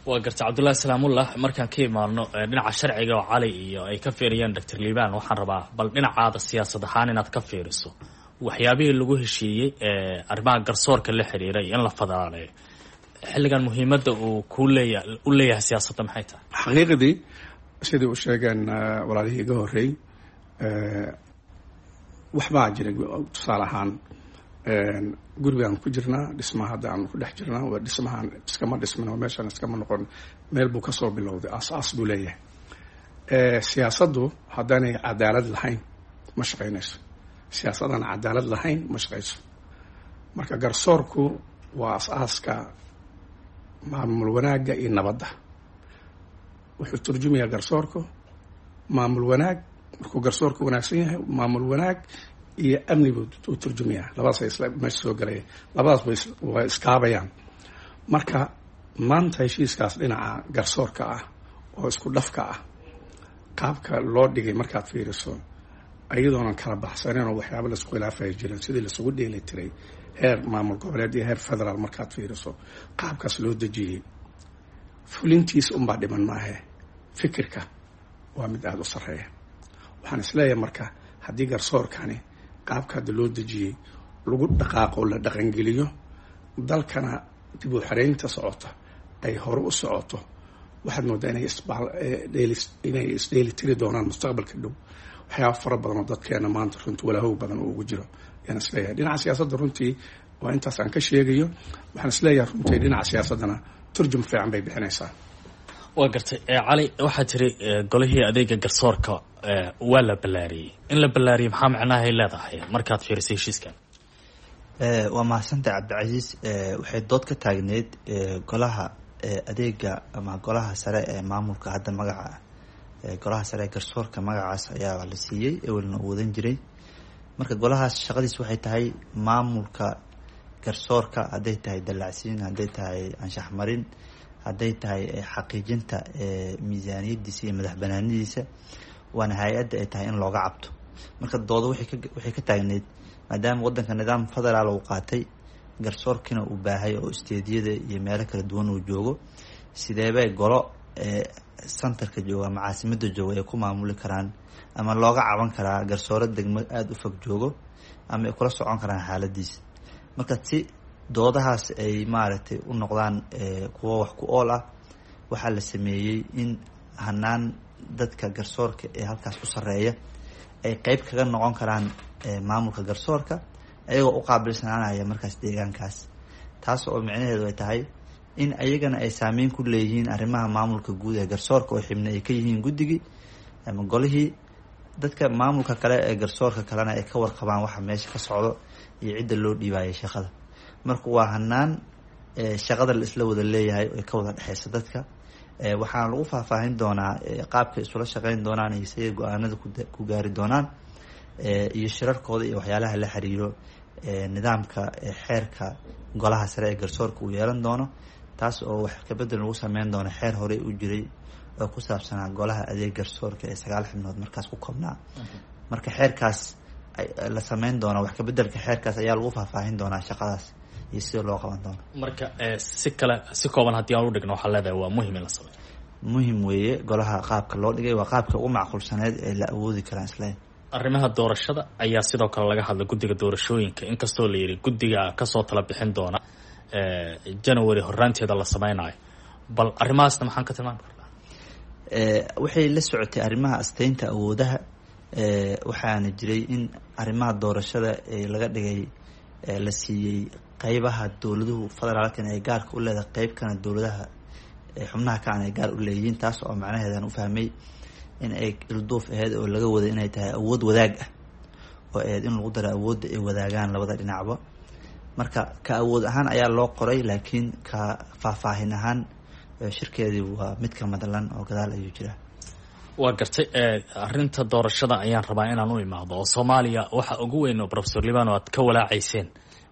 Waa garta, Cabdullahi Salaamullah. Markaan ka imaano dhinaca sharciga oo Cali iyo ay ka fiiriyeen Doctor Liibaan, waxaan rabaa bal dhinacaada siyaasad ahaan inaad ka fiiriso waxyaabihii lagu heshiiyey arrimaha garsoorka la xiriiray in la federaaleeyo xilligan, muhiimadda uu kuu leeya u leeyahay siyaasadda maxay tahay? Xaqiiqdii sidai u sheegeen walaalihii iga horreey, waxbaa jira. Tusaale ahaan, gurigaan ku jirnaa, dhismaha hadda aan ku dhex jirnaa waa dhismahaan iskama dhismin oo meeshaan iskama noqon, meel buu kasoo bilowday, aas-aas buu leeyahay. Siyaasaddu haddaanay cadaalad lahayn ma shaqaynayso, siyaasadaan cadaalad lahayn ma shaqayso. Marka garsoorku waa as-aaska maamul wanaagga iyo nabadda. Wuxuu turjumayaa garsoorku maamul wanaag. Markuu garsoorku wanaagsan yahay, maamul wanaag iyo amni buu u turjumayaa. Labadaas ay isla meesha soo galaya, labadaas way iskaabayaan. Marka maanta heshiiskaas dhinaca garsoorka ah oo isku dhafka ah, qaabka loo dhigay markaad fiiriso, iyadoonan kala baxsanin oo waxyaaba laisku khilaafaya jirin, sidii laisugu dheeli tiray heer maamul goboleed iyo heer federaal markaad fiiriso qaabkaas loo dejiyey, fulintiis unbaa dhiman maahe, fikirka waa mid aada u sarreeya. Waxaan isleeyahay marka haddii garsoorkani qaabka hadda loo dejiyey lagu dhaqaaqo, la dhaqangeliyo, dalkana dib u xareynta socota ay hore u socoto, waxaad moodaa inay isdheeli tiri doonaan mustaqbalka dhow waxyaaba fara badan oo dadkeena maanta runtii walaahow badan oo ugu jiro ayaan isleeyahay. Dhinaca siyaasadda runtii waa intaas aan ka sheegayo. Waxaan isleeyahay runtii dhinaca siyaasaddana turjum fiican bay bixinaysaa. Waa gartay, Cali. Waxaa tiri golihii adeega garsoorka waa la ballaariyey. In la ballaariyey maxaa macnahay leedahay markaad fiirisay heshiiskan? Waa mahadsantahay, Cabdicasiis. Waxay dood ka taagneyd golaha adeega ama golaha sare ee maamulka, hadda magaca golaha sare ee garsoorka magacaas ayaa la siiyey, ewelna uu wadan jiray. Marka golahaas shaqadiis waxay tahay maamulka garsoorka, hadday tahay dallacsiin, hadday tahay anshax marin, hadday tahay xaqiijinta miisaaniyadiisa iyo madax banaanidiisa, waana hay-adda ay tahay in looga cabto. Marka doodo waxay ka taagneyd maadaama wadanka nidaam federaal uu qaatay, garsoorkiina uu baahay oo isteediyada iyo meelo kala duwan uu joogo, sideebay golo centerka jooga ama caasimada jooga ay ku maamuli karaan ama looga caban karaa garsooro degmo aada u fog joogo ama ay kula socon karaan xaaladiisa? Marka si doodahaas ay maaragtay u noqdaan kuwo wax ku ool ah, waxaa la sameeyey in hanaan dadka garsoorka ee halkaas ku sarreeya ay qeyb kaga noqon karaan maamulka garsoorka, ayagoo u qaabilsanaanaya markaas deegaankaas, taas oo micnaheedu ay tahay in ayagana ay saameyn ku leeyihiin arrimaha maamulka guud ee garsoorka oo xibna ay ka yihiin guddigii ama golihii, dadka maamulka kale ee garsoorka kalena ay ka warqabaan waxa meesha ka socdo iyo cidda loo dhiibaayay shaqada. Marka waa hanaan shaqada la isla wada leeyahay oo ka wada dhexeysa dadka. Waxaana lagu faahfaahin doonaa qaabka isula shaqeyn doonaan iyo siday go-aanada ku gaari doonaan iyo shirarkooda iyo waxyaalaha la xiriiro nidaamka xeerka golaha sare ee garsoorka uu yeelan doono, taas oo wax kabedel lagu sameyn doono xeer horey u jiray oo ku saabsanaa golaha adeeg garsoorka ee 9 xubnood markaas ku koobnaa. Marka xeerkaas la sameyn doona, wax kabedelka xeerkaas ayaa lagu faahfaahin doonaa shaqadaas iyo sida loo qaban doono. Marka si kale, si kooban haddii aan u dhigno, waxaa leedahay waa muhim in la sameeyo. Muhim weeye. Golaha qaabka loo dhigay waa qaabka ugu macquulsaneed ee la awoodi karaan isleeyahay. Arrimaha doorashada ayaa sidoo kale laga hadlay, guddiga doorashooyinka, inkastoo la yidhi guddiga kasoo tala bixin doona January horaanteeda la sameynayo. Bal arrimahaasna maxaan ka tilmaami karnaa? Waxay la socotay arrimaha asteynta awoodaha. Waxaana jiray in arrimaha doorashada ee laga dhigay la siiyey qeybaha dowladuhu federaalkan ay gaarka u leedahay, qeybkana dowladaha xubnaha kacan ay gaar u leeyihiin, taas oo macnaheedan u fahmay in ay ilduuf aheyd oo laga waday inay tahay awood wadaag ah oo aheyd in lagu daro awoodda ay wadaagaan labada dhinacba. Marka ka awood ahaan ayaa loo qoray, laakiin ka faahfaahin ahaan shirkeedii waa mid ka madlan oo gadaal ayuu jiraa. Waa gartay. Arrinta doorashada ayaan rabaa inaan u imaado, oo Soomaaliya waxa ugu weyn oo Professor Libano aad ka walaacayseen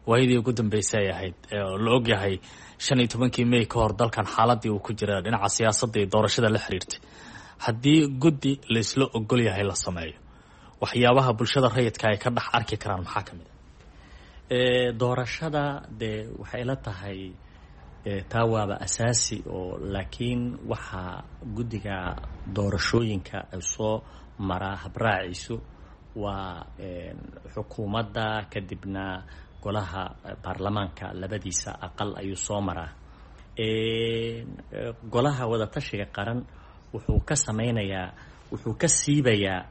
waayadii ugu dambeysay ay ahayd oo la ogyahay 15-kii May ka hor dalkan xaaladii uu ku jira dhinaca siyaasadda iyo doorashada la xiriirtay. Haddii guddi laisla ogol yahay la sameeyo, waxyaabaha bulshada rayidka ay ka dhex arki karaan maxaa ka mid a doorashada? Dee waxay la tahay taa waaba asaasi oo, laakiin waxaa guddiga doorashooyinka ay soo maraa habraaciisu waa xukuumadda, kadibna golaha baarlamaanka labadiisa aqal ayuu soo maraa. Golaha wadatashiga qaran wuxuu ka sameynayaa, wuxuu ka siibayaa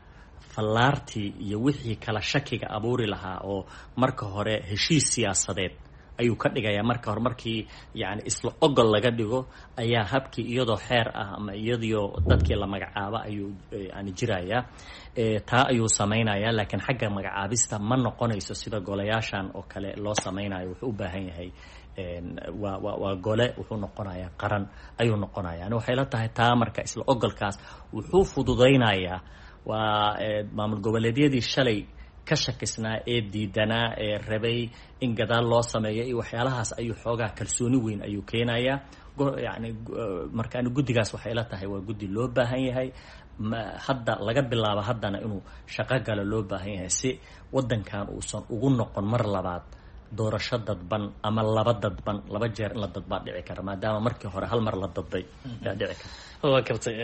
fallaartii iyo wixii kala shakiga abuuri lahaa, oo marka hore heshiis siyaasadeed ayuu ka dhigayaa. Marka hore markii yani isla ogol laga dhigo ayaa habkii iyadoo xeer ah ama iyadoo dadkii la magacaabo ayuu yani jirayaa, taa ayuu samaynayaa. Laakiin xagga magacaabista ma noqonayso sida golayaashan oo kale loo samaynayo. Wuxuu u baahan yahay waa gole, wuxuu noqonayaa qaran ayuu noqonaya. Yani waxay la tahay taa marka isla ogolkaas wuxuu fududaynayaa waa maamul goboleedyadii shalay ka shakisnaa ee diidanaa ee rabay in gadaal loo sameeyo iyo waxyaalahaas ayuu xoogaa kalsooni weyn ayuu keenayaa. Yani marka ani guddigaas waxay la tahay waa guddi loo baahan yahay hadda laga bilaabo, haddana inuu shaqo galo loo baahan yahay, si waddankan uusan ugu noqon mar labaad doorasho dadban ama laba dadban. Laba jeer in la dadbaa dhici kara, maadaama markii hore hal mar la dadbay yaa dhici kara. Waa gartay.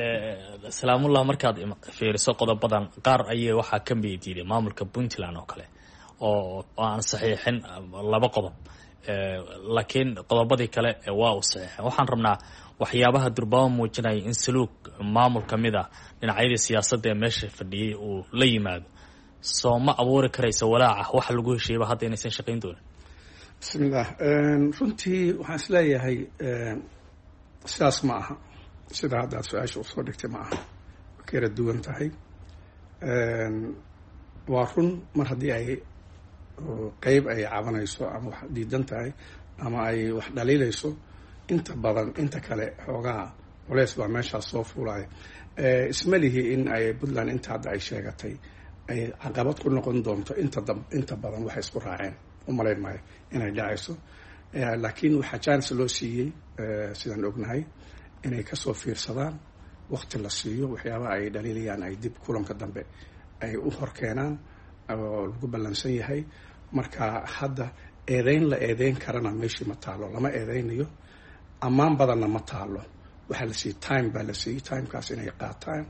Salaamullah, markaad fiiriso qodobadan qaar ayay waxaa ka mid diiday maamulka Puntland oo kale oo aan saxiixin laba qodob, laakiin qodobadii kale waa uu saxiixin. Waxaan rabnaa waxyaabaha durbaamo muujinaya in saluug maamul ka mid ah dhinacyadii siyaasadda ee meesha fadhiyey uu la yimaado, soo ma abuuri karaysa walaaca waxa lagu heshiiyaba hadda inaysan shaqayn doonin? Bismillaah. Runtii waxaan isleeyahay sidaas ma aha, sida hadda aad su-aasha usoo dhigtay ma aha, way ka yara duwan tahay. Waa run, mar haddii ay qeyb ay cabanayso ama wax diidan tahay ama ay wax dhaliilayso, inta badan inta kale xoogaha culeys baa meeshaas soo fuulaya. Isma lihi in ay Puntland inta hadda ay sheegatay ay caqabad ku noqon doonto inta badan waxay isku raaceen. U malayn maayo inay dhacayso, laakiin waxaa chance loo siiyey, sidaan ognahay, inay kasoo fiirsadaan, waqti la siiyo, waxyaabaha ay dhaliilayaan ay dib kulanka dambe ay u horkeenaan oo lagu ballansan yahay. Marka hadda eedeyn la eedeyn karana meeshii ma taalo, lama eedeynayo, ammaan badanna ma taalo. Waxaa la siiyey time baa la siiyey, timekaas inay qaataan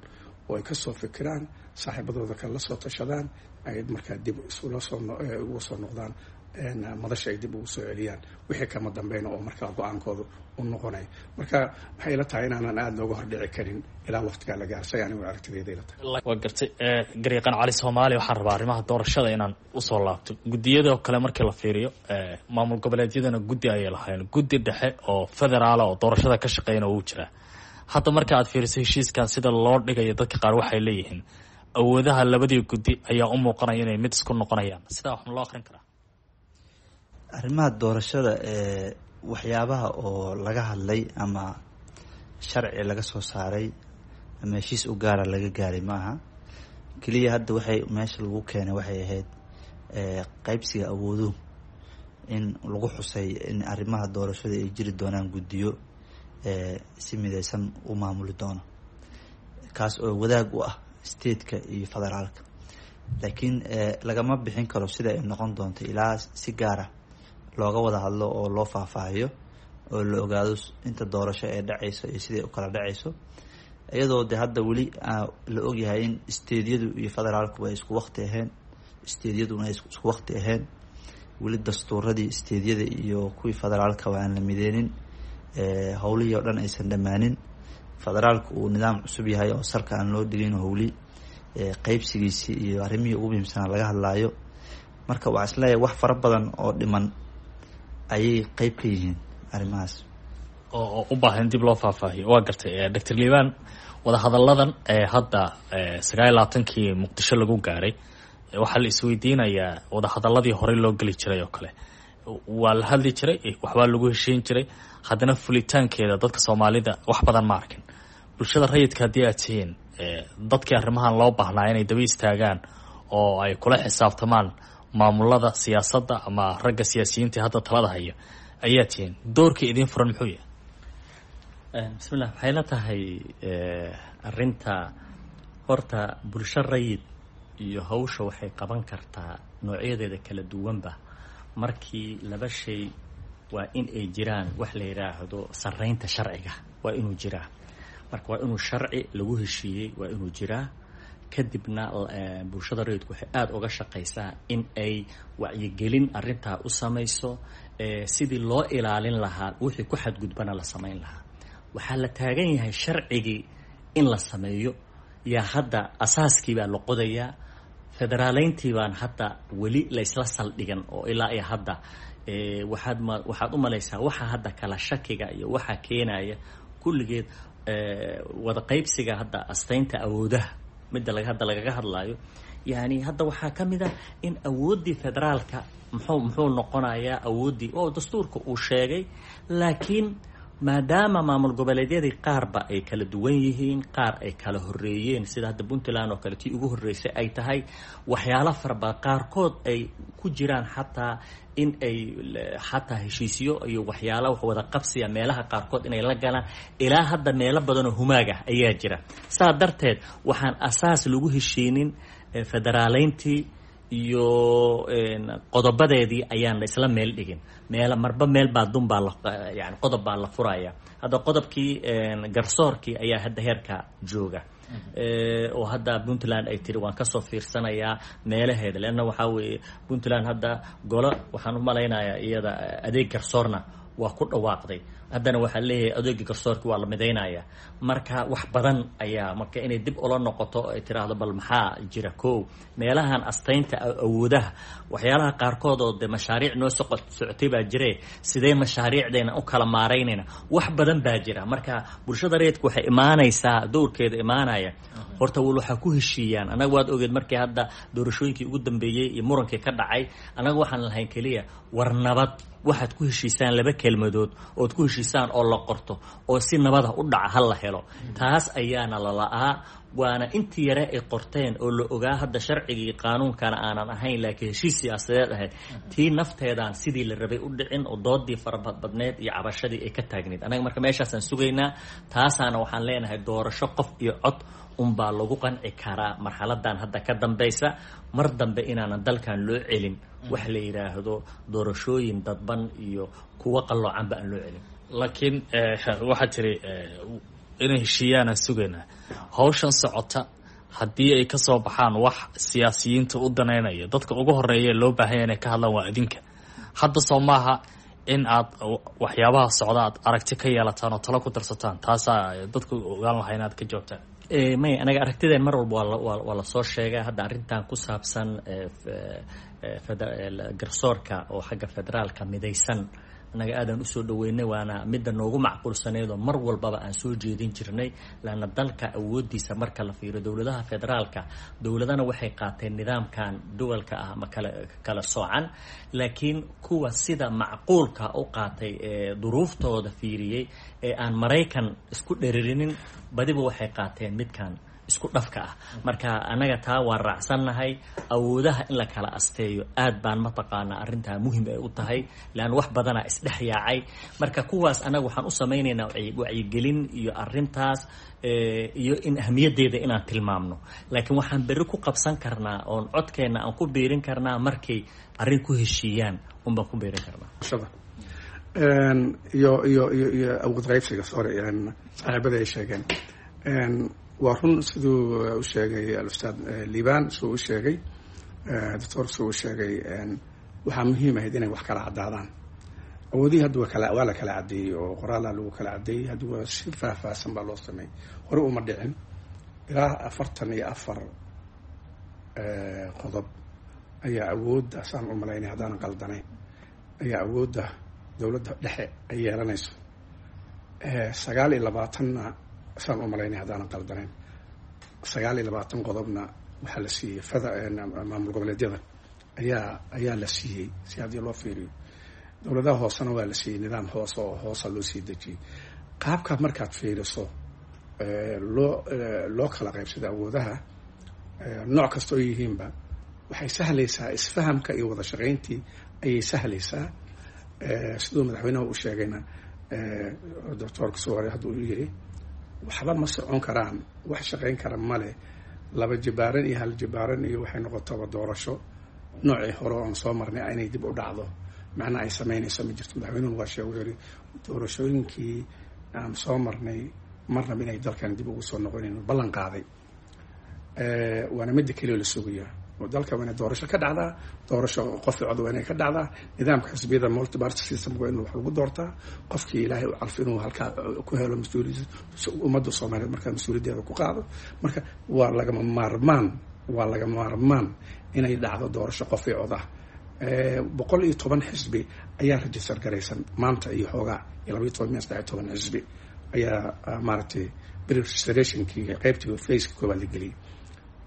oo ay kasoo fikiraan, saaxiibadooda kale la soo tashadaan, ay markaa dib isula soo uga soo noqdaan madasha, ay dib ugu soo celiyaan wixii kama dambeyna oo markaa go-aankooda u noqonaya. Marka waxay ila tahay inaanan aada looga hordhici karin ilaa waqtigaa la gaarsay, anigu aragtideyda ila tahay. Waa gartay. Garyaqaan Cali Soomaali, waxaan rabaa arrimaha doorashada inaan usoo laabto. Guddiyadoo kale markii la fiiriyo, maamul goboleedyadana guddi ayay lahayn, guddi dhexe oo federaala oo doorashada ka shaqeyna wuu jiraa. Hadda marka aad fiiriso heshiiskan sida loo dhigayo, dadka qaar waxay leeyihiin awoodaha labadii guddi ayaa u muuqanaya inay mid isku noqonayaan. Sidaa wax ma loo akrin karaa? Arrimaha doorashada ee waxyaabaha oo laga hadlay ama sharci laga soo saaray ama heshiis u gaara laga gaaray ma aha. Keliya hadda waxay meesha lagu keenay waxay ahayd qeybsiga awooduhu in lagu xusay in arrimaha doorashada ay jiri doonaan guddiyo si mideysan u maamuli doono, kaas oo wadaag u ah stateka iyo federaalka. Laakiin lagama bixin karo sida ay noqon doonto ilaa si gaara looga wada hadlo oo loo faahfaahiyo oo la ogaado inta doorasho ee dhacayso iyo siday u kala dhacayso. Iyadoo de hadda weli la ogyahay in isteedyadu iyo federaalku ay isku waqti ahayn, isteedyaduna ay isku waqti ahayn, weli dastuuradii isteedyada iyo kuwii federaalka aan la mideynin, howlihii oo dhan aysan dhammaanin, federaalku uu nidaam cusub yahay oo salka aan loo dhigin, howli qeybsigiisii iyo arrimihii ugu muhiimsanaa laga hadlaayo. Marka waxaa isleeyahay wax fara badan oo dhiman ayay qeyb ka yihiin arrimahaas oo u baahan dib loo faahfaahiyo. Waa gartay, Doctor Liibaan. Wadahadalladan ee hadda 29-kii Muqdisho lagu gaaray, waxaa la isweydiinayaa wadahadaladii horey loo geli jiray oo kale waa la hadli jiray, waxbaa lagu heshiin jiray, haddana fulitaankeeda dadka Soomaalida wax badan ma arkin. Bulshada rayidka haddii aad tihiin, dadkii arrimahan loo baahnaa inay daba istaagaan oo ay kula xisaabtamaan maamulada siyaasadda ama ragga siyaasiyiinta hadda talada haya ayaa tihiin, doorka idiin furan muxuu yahay? Bismillah. Waxay la tahay arrinta horta bulsho rayid iyo hawsha waxay qaban kartaa noocyadeeda kala duwanba markii laba shay waa in ay jiraan. Wax la yidhaahdo sarreynta sharciga waa inuu jiraa. Marka waa inuu sharci lagu heshiiyey waa inuu jiraa. Kadibna bulshada rayidku waxay aada uga shaqaysaa in ay wacyigelin arrintaa u samayso, sidii loo ilaalin lahaa, wixii ku xadgudbana la samayn lahaa. Waxaa la taagan yahay sharcigii in la sameeyo, yaa hadda asaaskii baa la qodayaa. Federaaleyntii baan hadda weli la isla saldhigan oo ilaa iyo hadda waxaad ma waxaad u malaysaa waxa hadda kala shakiga iyo waxa keenaya kulligeed wada qaybsiga hadda astaynta awoodaha midda laga hadda lagaga hadlaayo. Yani hadda waxaa ka mid ah in awooddii federaalka muxuu noqonayaa awooddii oo dastuurka uu sheegay, laakiin maadaama maamul goboleedyadii qaarba ay kala duwan yihiin, qaar ay kala horeeyeen, sida hadda Puntland oo kale tii ugu horreysay ay tahay, waxyaalo faraba qaarkood ay ku jiraan, xataa in ay xataa heshiisyo iyo waxyaala wax wada qabsiya meelaha qaarkood inay la galaan, ilaa hadda meelo badanoo humaag ah ayaa jira. Saa darteed waxaan asaas lagu heshiinin federaaleyntii iyo qodobadeedii ayaan la isla meel dhigin. Meel marba meel baa dun baa la yani qodob baa la furaya. Hadda qodobkii garsoorkii ayaa hadda heerka jooga oo hadda Puntland ay tiri waan kasoo fiirsanayaa meelaheeda, leanna waxaa weeye Puntland hadda golo waxaan u malaynayaa iyada adeeg garsoorna waa ku dhawaaqday, haddana waxaa leeyahay adeega garsoorka waa la midaynaya. Marka wax badan ayaa marka inay dib ula noqoto ay tiraahdo bal maxaa jira ko meelahan astaynta awoodaha, waxyaalaha qaarkood oo de mashaariic noo socotay baa jire, sidee mashaariicdeena u kala maaraynayna, wax badan baa jira. Marka bulshada rayidka waxay imaanaysaa dowrkeeda imaanaya horta wal waxaa ku heshiiyaan. Annaga waad ogeed markii hadda doorashooyinkii ugu dambeeyey iyo murankii ka dhacay, annaga waxaan lahayn keliya war nabad waxaad ku heshiisaan, laba kelmadood ood ku heshiisaan oo la qorto oo si nabada u dhaca ha la helo. Taas ayaana la la-aa, waana intii yare ay qorteen oo la ogaa hadda sharcigii qaanuunkana aanan ahayn laakiin heshiis siyaasadeed ahayd, tii nafteedaan sidii la rabay u dhicin oo doodii farabadbadneed iyo cabashadii ay ka taagneyd. Annaga marka meeshaasaan sugaynaa, taasaana waxaan leenahay doorasho qof iyo cod unbaa lagu qanci karaa marxaladan hadda ka dambaysa, mar dambe inaanan dalkan loo celin wax la yidhaahdo doorashooyin dadban iyo kuwo qalloocanba aan loo celin. Laakiin waxaa tiri inay heshiiyaanaan sugaynaa. Hawshan socota haddii ay kasoo baxaan wax siyaasiyiinta u daneynaya, dadka ugu horeeya loo baahanya inay ka hadlaan waa idinka. Hadda soo maaha in aad waxyaabaha socda aad aragti ka yeelataan oo talo ku darsataan? Taasaa dadku ogaan lahaa inaad ka joogtaan. May, anaga aragtideen mar walba waa lasoo sheegaa. Hadda arrintan ku saabsan garsoorka oo xagga federaalka midaysan annaga aadaan usoo dhaweynay, waana midda noogu macquulsaneed oo mar walbaba aan soo jeedin jirnay, laanna dalka awoodiisa marka la fiiriyo dowladaha federaalka, dowladana waxay qaateen nidaamkan duwalka ah ama kala soocan, laakiin kuwa sida macquulka u qaatay ee duruuftooda fiiriyey ee aan Maraykan isku dheririnin badiba waxay qaateen midkan isku dhafka ah. Marka annaga taa waan raacsannahay. Awoodaha in la kala asteeyo aad baan mataqaanaa arrintaa muhim ay u tahay, leanna wax badanaa isdhex yaacay. Marka kuwaas annaga waxaan u samaynaynaa wacyigelin iyo arrintaas iyo in ahmiyaddeeda inaan tilmaamno, laakiin waxaan berri ku qabsan karnaa oon codkeenna aan ku biirin karnaa markay arrin ku heshiiyaan unbaan ku biirin karnaa. Iyo iyo iyo iyo awood qaybsiga, sorry, saaxiibada ay sheegeen. Waa run siduu u sheegay alustaad Liibaan, siduu u sheegay doctor, siduu u sheegay, waxaa muhiim ahayd inay wax kala caddaadaan. Awoodihii hadda waa la kala caddeeyey oo qoraalaa lagu kala caddeeyey. Hadda waa si faahfaahsan baa loo sameeyey, hore uma dhicin. Ilaa 44 qodob ayaa awoodda, saan u malaynay haddaanan qaldanayn, ayaa awoodda dowladda dhexe ay yeelanayso. 29-na, saan u malaynay haddaanan qaldanayn, 29 qodobna waxaa la siiyey fada maamul goboleedyada ayaa la siiyey. Si haddii loo fiiriyo, dowladaha hoosena waa la siiyey, nidaam hoose oo hoosa loo sii dejiyey. Qaabka markaad fiiriso loo kala qaybsado awoodaha nooc kasta oo yihiinba, waxay sahlaysaa isfahamka iyo wada shaqayntii ayay sahlaysaa. Siduu madaxweynaha u sheegayna, doctoorka soo hore hadduu u yiri, waxba ma socon karaan, wax shaqayn kara male laba jibaaran iyo hal jibaaran iyo waxay noqotaba doorasho noocii hore oon soo marnay inay dib u dhacdo macnaa ay samaynayso ma jirto. Madaxweynuhu waa sheeg, wuxuu yiri doorashooyinkii aan soo marnay marnaba inay dalkan dib ugu soo noqonayno ballan qaaday. Waana midda keliya la sugayaa oo dalka waa inay doorasho ka dhacdaa, doorasho qof cod waa inay ka dhacdaa. Nidaamka xisbiyada multiparty system waa in wax lagu doortaa, qofkii Ilaahay u calf inuu halkaa ku helo mas-uuliyad ummadda Soomaaliyeed markaa mas-uuliyaddeeda ku qaado. Marka waa lagama maarmaan, waa lagama maarmaan inay dhacdo doorasho qof i cod ah. 110 xisbi ayaa register garaysan maanta iyo xoogaa, iyo 12 miya 13 xisbi ayaa maaragtay preregistrationkii qaybtii faceka koowaad la geliyay.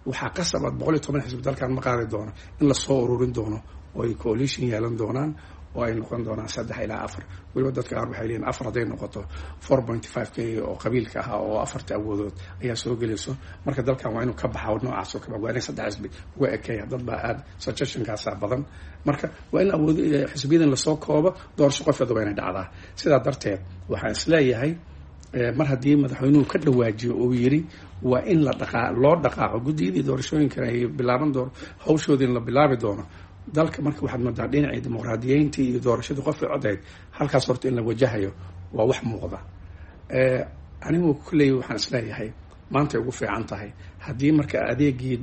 Waxaa qasab aad 110 xisbi dalkan ma qaadi doono, in lasoo ururin doono oo ay coalition yeelan doonaan oo ay noqon doonaan saddex ilaa afar. Weliba dadka qaar waxay leeyihin afar hadday noqoto, 4.5 k oo qabiilka ahaa oo afarta awoodood ayaa soo gelayso. Marka dalkan waa inuu ka baxa noocaas oo kale, waa inay saddex xisbi uga ekeeya. Dad baa aada suggestionkaasaa badan. Marka waa in awood xisbiyadan lasoo koobo, doorasho qofeeda waa inay dhacdaa. Sidaa darteed waxaan isleeyahay, mar haddii madaxweynuhu ka dhawaajiyo uu yiri waa in la dhaqaa loo dhaqaaqo, guddiyadii doorashooyinkana ay bilaaban doono hawshoodii la bilaabi doono dalka. Marka waxaad moodaa dhinacii dimuqraadiyeyntii iyo doorashadii qofkii codayd halkaas horta in la wajahayo, waa wax muuqda. Anigu kulley waxaan isleeyahay maantay ugu fiican tahay haddii marka adeegii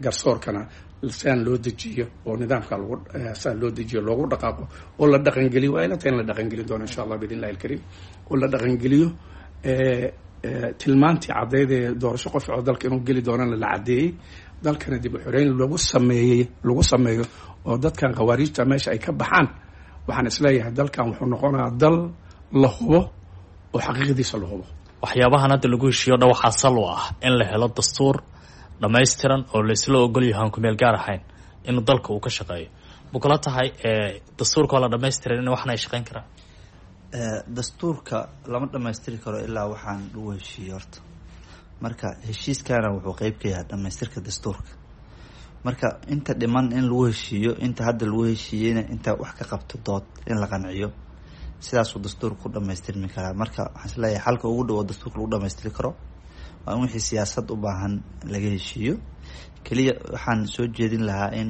garsoorkana siaan loo dejiyo oo nidaamka lagu siaan loo dejiyo loogu dhaqaaqo oo la dhaqangeliyo. Waa ila tahay in la dhaqangelin doono insha Allah biidn illahi alkariim, oo la dhaqangeliyo tilmaantii caddeyd ee doorasho qof oo dalka inuu geli doonana la caddeeyey, dalkana dib u xoreyn lagu sameeyey lagu sameeyo oo dadkan khawaariijta meesha ay ka baxaan. Waxaan isleeyahay dalkan wuxuu noqonayaa dal la hubo oo xaqiiqdiisa la hubo. Waxyaabahan hadda lagu heshiiyo dhan waxaa sal u ah in la helo dastuur dhammaystiran oo la isla ogol yahay aan kumeel gaar ahayn inuu dalka uu ka shaqeeyo. Ma kula tahay dastuurka oo la dhamaystiran in waxna ay shaqeyn karaan? Dastuurka lama dhamaystiri karo ilaa waxaan lagu heshiiyey horta. Marka heshiiskana wuxuu qeyb ka yahay dhamaystirka dastuurka. Marka inta dhiman in lagu heshiiyo, inta hadda lagu heshiiyeyna inta wax ka qabto dood in la qanciyo, sidaasuu dastuurka ku dhamaystirmi karaa. Marka waxaan isleeyahay xalka ugu dhow oo dastuurka lagu dhamaystiri karo waa in wixii siyaasad u baahan laga heshiiyo. Keliya waxaan soo jeedin lahaa in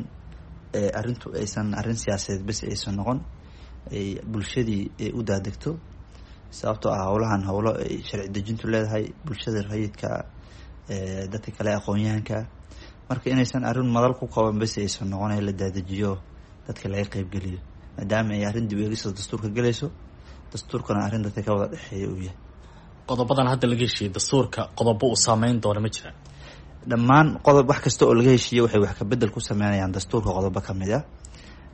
arrintu aysan arrin siyaasadeed bes aysan noqon, ay bulshadii ay u daadegto, sababtoo ah howlahan howlo ay sharci dejintu leedahay, bulshada rayidka, dadka kale aqoon-yahanka. Marka inaysan arrin madal ku kooban bes aysan noqon, la daadejiyo, dadka laga qeybgeliyo, maadaama ay arrin dib eegista dastuurka gelayso, dastuurkana arrin dadka ka wada dhexeeya uu yahay. Qodobadan hadda laga heshiiyey dastuurka, qodobo uu saameyn doono ma jiraan? Dhammaan qodob wax kasta oo laga heshiiyey waxay wax kabedel ku sameynayaan dastuurka qodobo ka mid ah.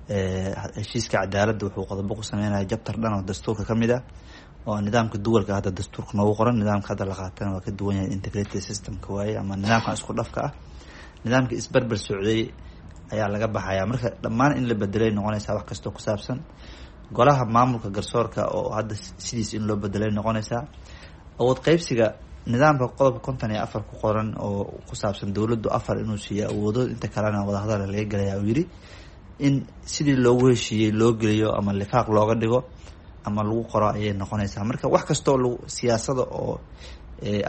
Heshiiska cadaaladda wuxuu qodobo ku sameynaya jabtar dhan oo dastuurka ka mid ah, oo nidaamka duwalka hadda dastuurka noogu qoran. Nidaamka hadda la qaatana waa ka duwan yahay, integrated systemka waaye ama nidaamkan isku dhafka ah. Nidaamka isberber socday ayaa laga baxaya. Marka dhammaan in la bedelay noqonaysaa wax kastoo ku saabsan golaha maamulka garsoorka oo hadda sidiis in loo bedelay noqonaysaa. Awood qeybsiga nidaamka qodobka 54 ku qoran oo ku saabsan dowladdu afar inuu siiyo awoodo, inta kalena wadahadala laga gelaya uu yidhi, in sidii loogu heshiiyey loo geliyo ama lifaaq looga dhigo ama lagu qoro ayay noqonaysaa. Marka wax kastoo lag siyaasada oo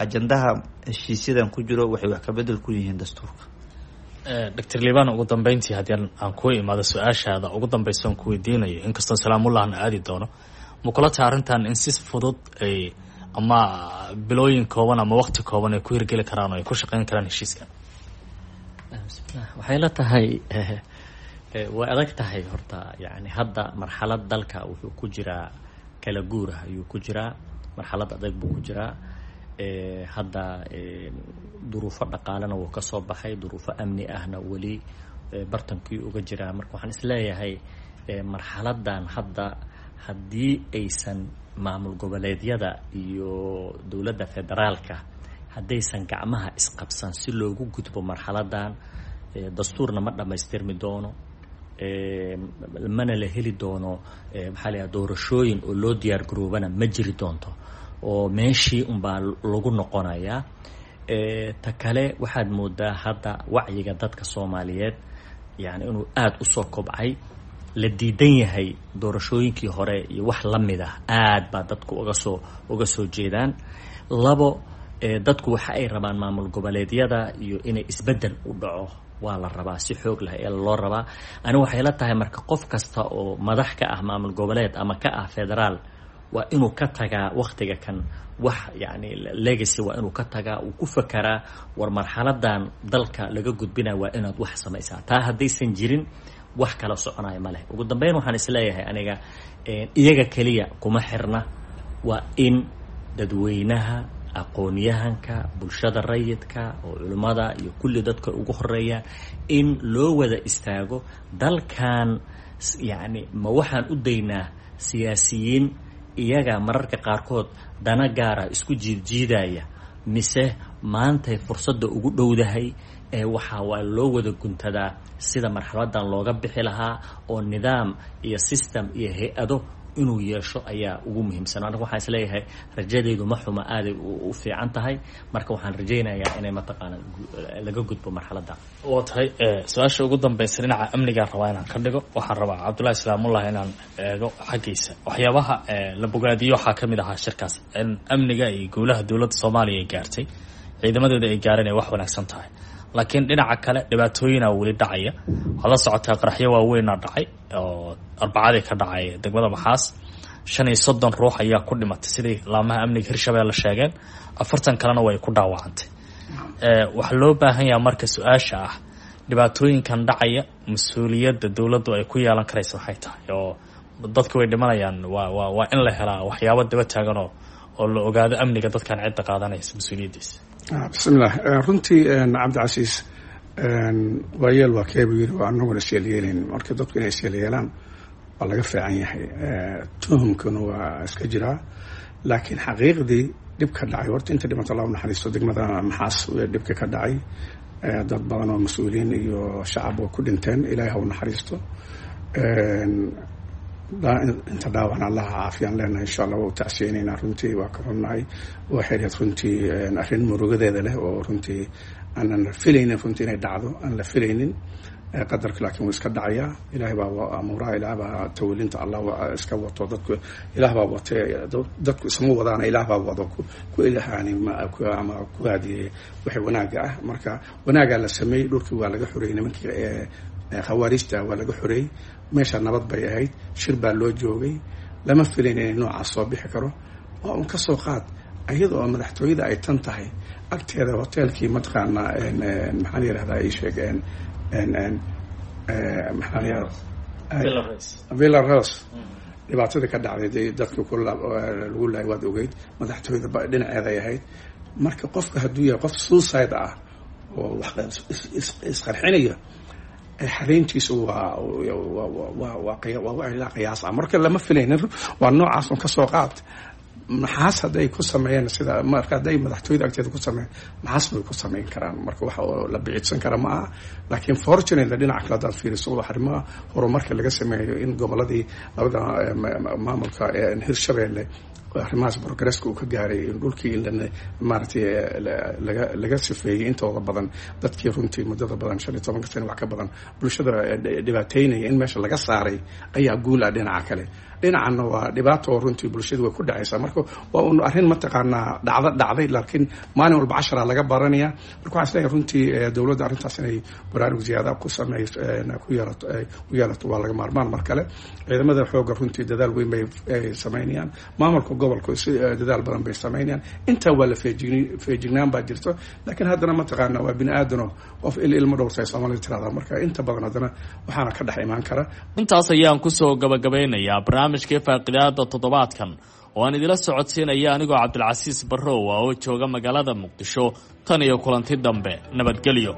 ajandaha heshiisyadan ku jiro waxay wax kabedel ku yihiin dastuurka. Doctor Liban, ugu dambeyntii haddii aan kuu imaado, su-aashaada ugu dambeysa aan ku weydiinayo, inkastoo salaamullahna aadi doono, ma kula tahay arrintan in si fudud ay Ama bilooyin kooban ama waqti kooban ay ku hirgeli karaan oo ay ku shaqeyn karaan heshiiskan? Bismillah, waxay la tahay way adag tahay horta. Yani hadda marxalad dalka wuxuu ku jiraa kala guurah ayuu ku jiraa, marxalad adag buu ku jiraa. Hadda duruufo dhaqaalena wuu ka soo baxay, duruufo amni ahna weli bartankii uga jiraa. Marka waxaan isleeyahay marxaladan hadda haddii aysan maamul goboleedyada iyo dowladda federaalka haddaysan gacmaha isqabsan si loogu gudbo marxaladan, dastuurna ma dhammaystirmi doono, mana la heli doono, maxaa la yidhaha, doorashooyin oo loo diyaar garoobana ma jiri doonto, oo meeshii unbaa lagu noqonayaa. Ta kale, waxaad moodaa hadda wacyiga dadka Soomaaliyeed yani inuu aada usoo kobcay, la diidan yahay doorashooyinkii hore iyo wax la mid ah, aad baa dadku uga soo jeedaan. Labo, dadku waxa ay rabaan maamul goboleedyada iyo inay isbeddel u dhaco waa la rabaa, si xoog leh ee loo rabaa. Ani waxay la tahay marka qof kasta oo madax ka ah maamul goboleed ama ka ah federaal waa inuu ka tagaa waktiga kan wax yani legacy, waa inuu ka tagaa, uu ku fakaraa war marxaladan dalka laga gudbinaya waa inaad wax samaysaa. Taa haddaysan jirin wax kala soconaya ma leh. Ugu dambeyn, waxaan isleeyahay aniga iyaga keliya kuma xirna, waa in dadweynaha, aqoon-yahanka, bulshada rayidka oo culimmada iyo kulli dadka ugu horeeyaan in loo wada istaago dalkan. Yacni ma waxaan u daynaa siyaasiyiin iyaga mararka qaarkood dana gaara isku jiidjiidaya, mise maantay fursadda ugu dhowdahay ee waxaa waa loo wada guntadaa sida marxaladan looga bixi lahaa, oo nidaam iyo system iyo hay-ado inuu yeesho ayaa ugu muhiimsan. Aniga waxaan isleeyahay rajadeydu ma xuma, aaday u fiican tahay. Marka waxaan rajaynayaa inay mataqaana laga gudbo marxaladda. Waa tahay. Su-aasha ugu dambeysa dhinaca amnigaan rabaa inaan ka dhigo. Waxaan rabaa Cabdullahi Islaamullah inaan eego xaggiisa. Waxyaabaha la bogaadiyo waxaa kamid ahaa shirkaas in amniga iyo guulaha dowladda Soomaaliya ay gaartay, ciidamadeeda ay gaareen, ay wax wanaagsan tahay. Laakiin dhinaca kale dhibaatooyina weli dhacaya. Waxaad la socotaa qaraxyo waaweynaa dhacay oo Arbacadii ka dhacay degmada Maxaas. 35 ruux ayaa ku dhimatay sidai laamaha amniga Hirshabelle sheegeen, 40 kalena way ku dhaawacantay. Waxaa loo baahan yahaa marka su-aasha ah, dhibaatooyinkan dhacaya mas-uuliyadda dowladdu ay ku yeelan karaysa waxay tahay, oo dadka way dhimanayaan, waa in la helaa waxyaabo daba taagan oo la ogaado amniga dadkan cidda qaadanaysa mas-uuliyaddiisa. Bismillaah. Runtii Cabdicasiis, waayeel waa keebu yiri, waa anaguna isyeelyeelayn. Marka dadku inay isyeelyeelaan waa laga fiican yahay, tuhumkuna waa iska jiraa. Laakiin xaqiiqdii dhib ka dhacay horta, inta dhimata Allah u naxariisto. Degmada Maxaas dhibka ka dhacay dad badan oo mas-uuliyiin iyo shacab oo ku dhinteen, Ilaahay ha u naxariisto. Inta dhaawacna Allaha caafiyaan leenahay, insha Allah. Waa u tacsiyeynaynaa, runtii waa ka xunnahay. Waxay ahayd runtii arrin murugadeeda leh oo runtii aanan filaynin runtii inay dhacdo, aan la filaynin qadarka, laakiin wuu iska dhacayaa. Ilaahay baa amuuraha, Ilaah baa tawalinta, Allah iska wato. Dadku Ilaah baa watee, dadku isma wadaana, Ilaah baa wado ku ilhaani ama ku haadiyey waxay wanaaga ah. Marka wanaagaa la sameeyey, dhulkii waa laga xoreeyey nimankii khawaarijta, waa laga xoreeyey meesha, nabad bay ahayd, shir baa loo joogay. Lama filayn inay noocaas soo bixi karo. Waa un ka soo qaad iyada oo madaxtooyada ay tan tahay agteeda hoteelkii, mataqaanaa, maxaa la yihahdaa, ii sheeg, maxaa la yihahdaa, Villa Rose, dhibaatadii ka dhacday dee dadkii ku lagu laayay waad ogeyd, madaxtooyada dhinaceeda ay ahayd. Marka qofka hadduu yahay qof suicide ah oo wax isqarxinaya, xareyntiisu waa ilaa qiyaas ah. Marka lama filaynin, waa noocaas. Un kasoo qaad Maxaas hadday ku sameeyeen sida, marka hadday madaxtooyada agteeda ku sameeyeen, Maxaas bay ku sameyn karaan. Marka waxa oo la biciidsan kara ma aha. Laakiin fortunately dhinaca kale haddaad fiiriso, arrimaha horumarka laga sameeyo in goboladii labada maamulka Hirshabeelle arrimahaas progresska uu ka gaaray, in dhulkii in maaragtay laga sifeeyey intooda badan dadkii runtii muddada badan, 15-ka sano wax ka badan, bulshada dhibaateynaya in meesha laga saaray ayaa guul ah dhinaca kale. Dhinacanna waa dhibaato oo runtii bulshadu way ku dhacaysaa. Marka waa un arrin mataqaanaa dhacdo dhacday, laakiin maalin walba cashara laga baranaya. Marka waxaan isleeyahay runtii dowladda arrintaas inay baraarug ziyaada ku sameeyso ku yeelato waa laga maarmaan. Mar kale ciidamada xoogga runtii dadaal weyn bay sameynayaan, maamulka gobolka. Gobolku si dadaal badan bay samaynayaan. Intaa waa la feejignaan baa jirto, laakiin haddana mataqaana waa bini aadano, qof il ilmo dhowrtay Soomaalida tirahda. Marka inta badan haddana waxaana ka dhex imaan kara. Intaas ayaan kusoo gabagabeynayaa barnaamijkii faaqidaada toddobaadkan oo aan idila socodsiinaya anigoo Cabdilcasiis Barrow ah oo jooga magaalada Muqdisho. Tan iyo kulanti dambe, nabadgelyo.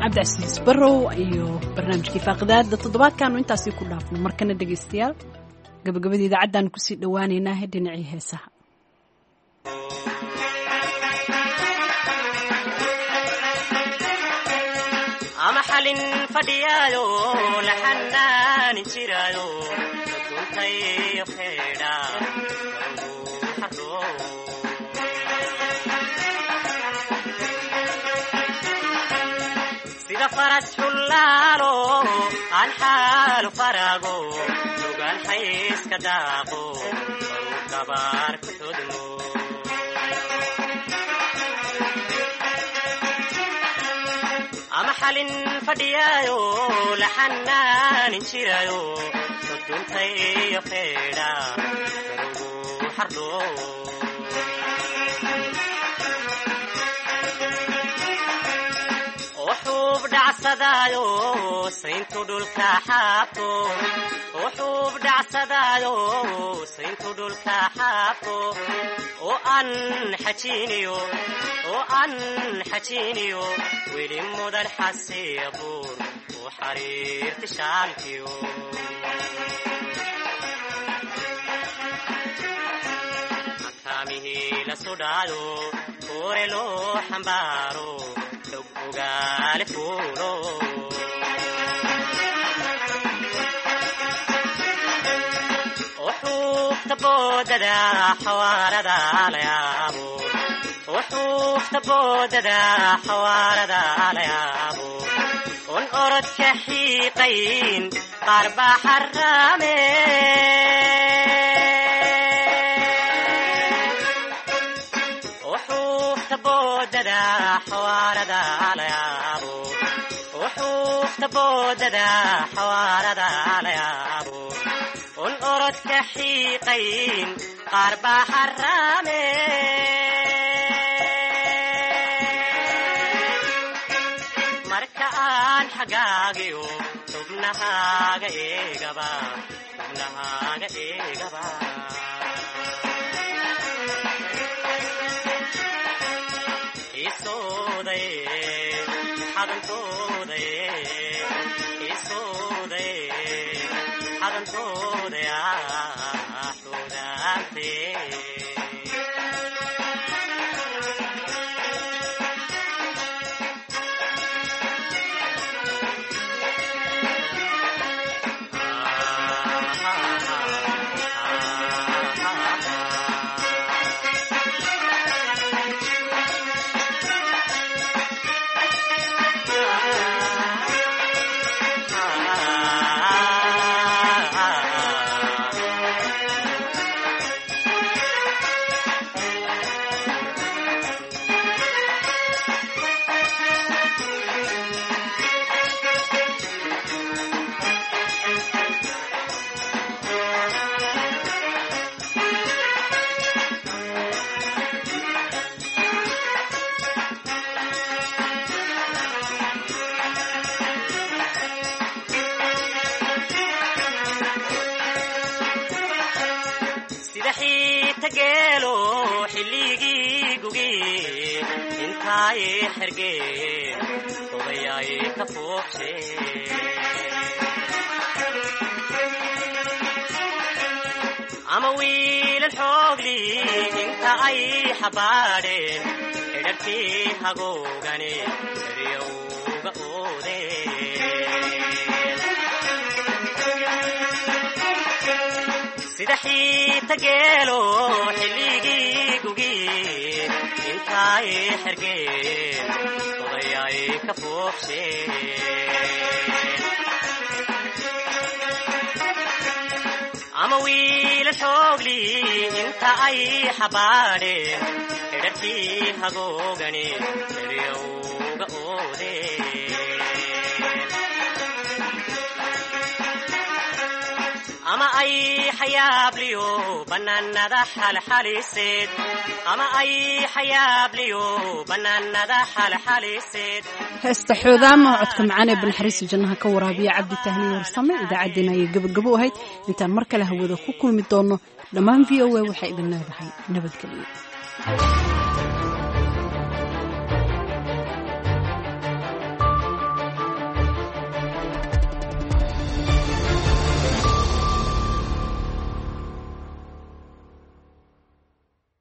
Cabdicasiis Barrow iyo barnaamijkii faaqidaada toddobaadkaanu intaasi ku dhaafno. Markana dhegaystayaal, gabagabada idaacaddaanu kusii dhowaaneynaa dhinacii heesaha. Ama xalin fadhiyaayo la xanaanin jiraayo duntayo xeedha. Sida faras xullaalo aan xaalu farago lugaan xayska daaqo gabaar ku xudmo. Ama xalin fadhiyaayo la xanaanin jiraayo duntayo xeedha ugu xardho. Wuxuub dhacsadaayo sayntu dhulka xaabto, wuxuub dhacsadaayo sayntu dhulka xaabto, oo aan xajiiniyo, oo aan xajiiniyo weli mudan xasiibuur u xariirti shaalkiyo. Akaamihii la sudhaayo koore loo xambaaro ugaale fuulo. Wuxuufta boodada xawaarada la yaabo, wuxuufta boodada xawaarada la yaabo, un orodka xiiqayn qaar baa xaraame. Wuxuufta boodada xawaarada la yaabo, wuxuufta boodada xawaarada la yaabo, un orodka xiiqayn qaar baa xaraame. Marka aan xagaagiyo xubnahaaga eegaba, xubnahaaga eegaba, xodantooday. Sida xiita geelo xilligii gugi intaay xergeen odayaay ka fuuqshe, ama wiilal xoogli inta ay xabaadheen xidharkii hagoogani eryowga oodeen. Sida xiita geelo xilligii gugi intaay xergeen odayaay ka fuuqsheen, ama wiilal xoogli inta ay xabaadheen. Xidharkii hagoogani eryowga oodeen ama ay xayaabliyo bannaanada xalxaliseed ama ay xayaabliyo bannaanada xalxaliseed. Heesta Xoodaama, codka macaan ee Banaxariista jannaha ka waraabiya Cabdi Tahniin Warsame, idaacaddeenna ayay gabagabo ahayd. Intaan mar kale hawada ku kulmi doonno, dhammaan VOA waxay idin leedahay nabadgelyo.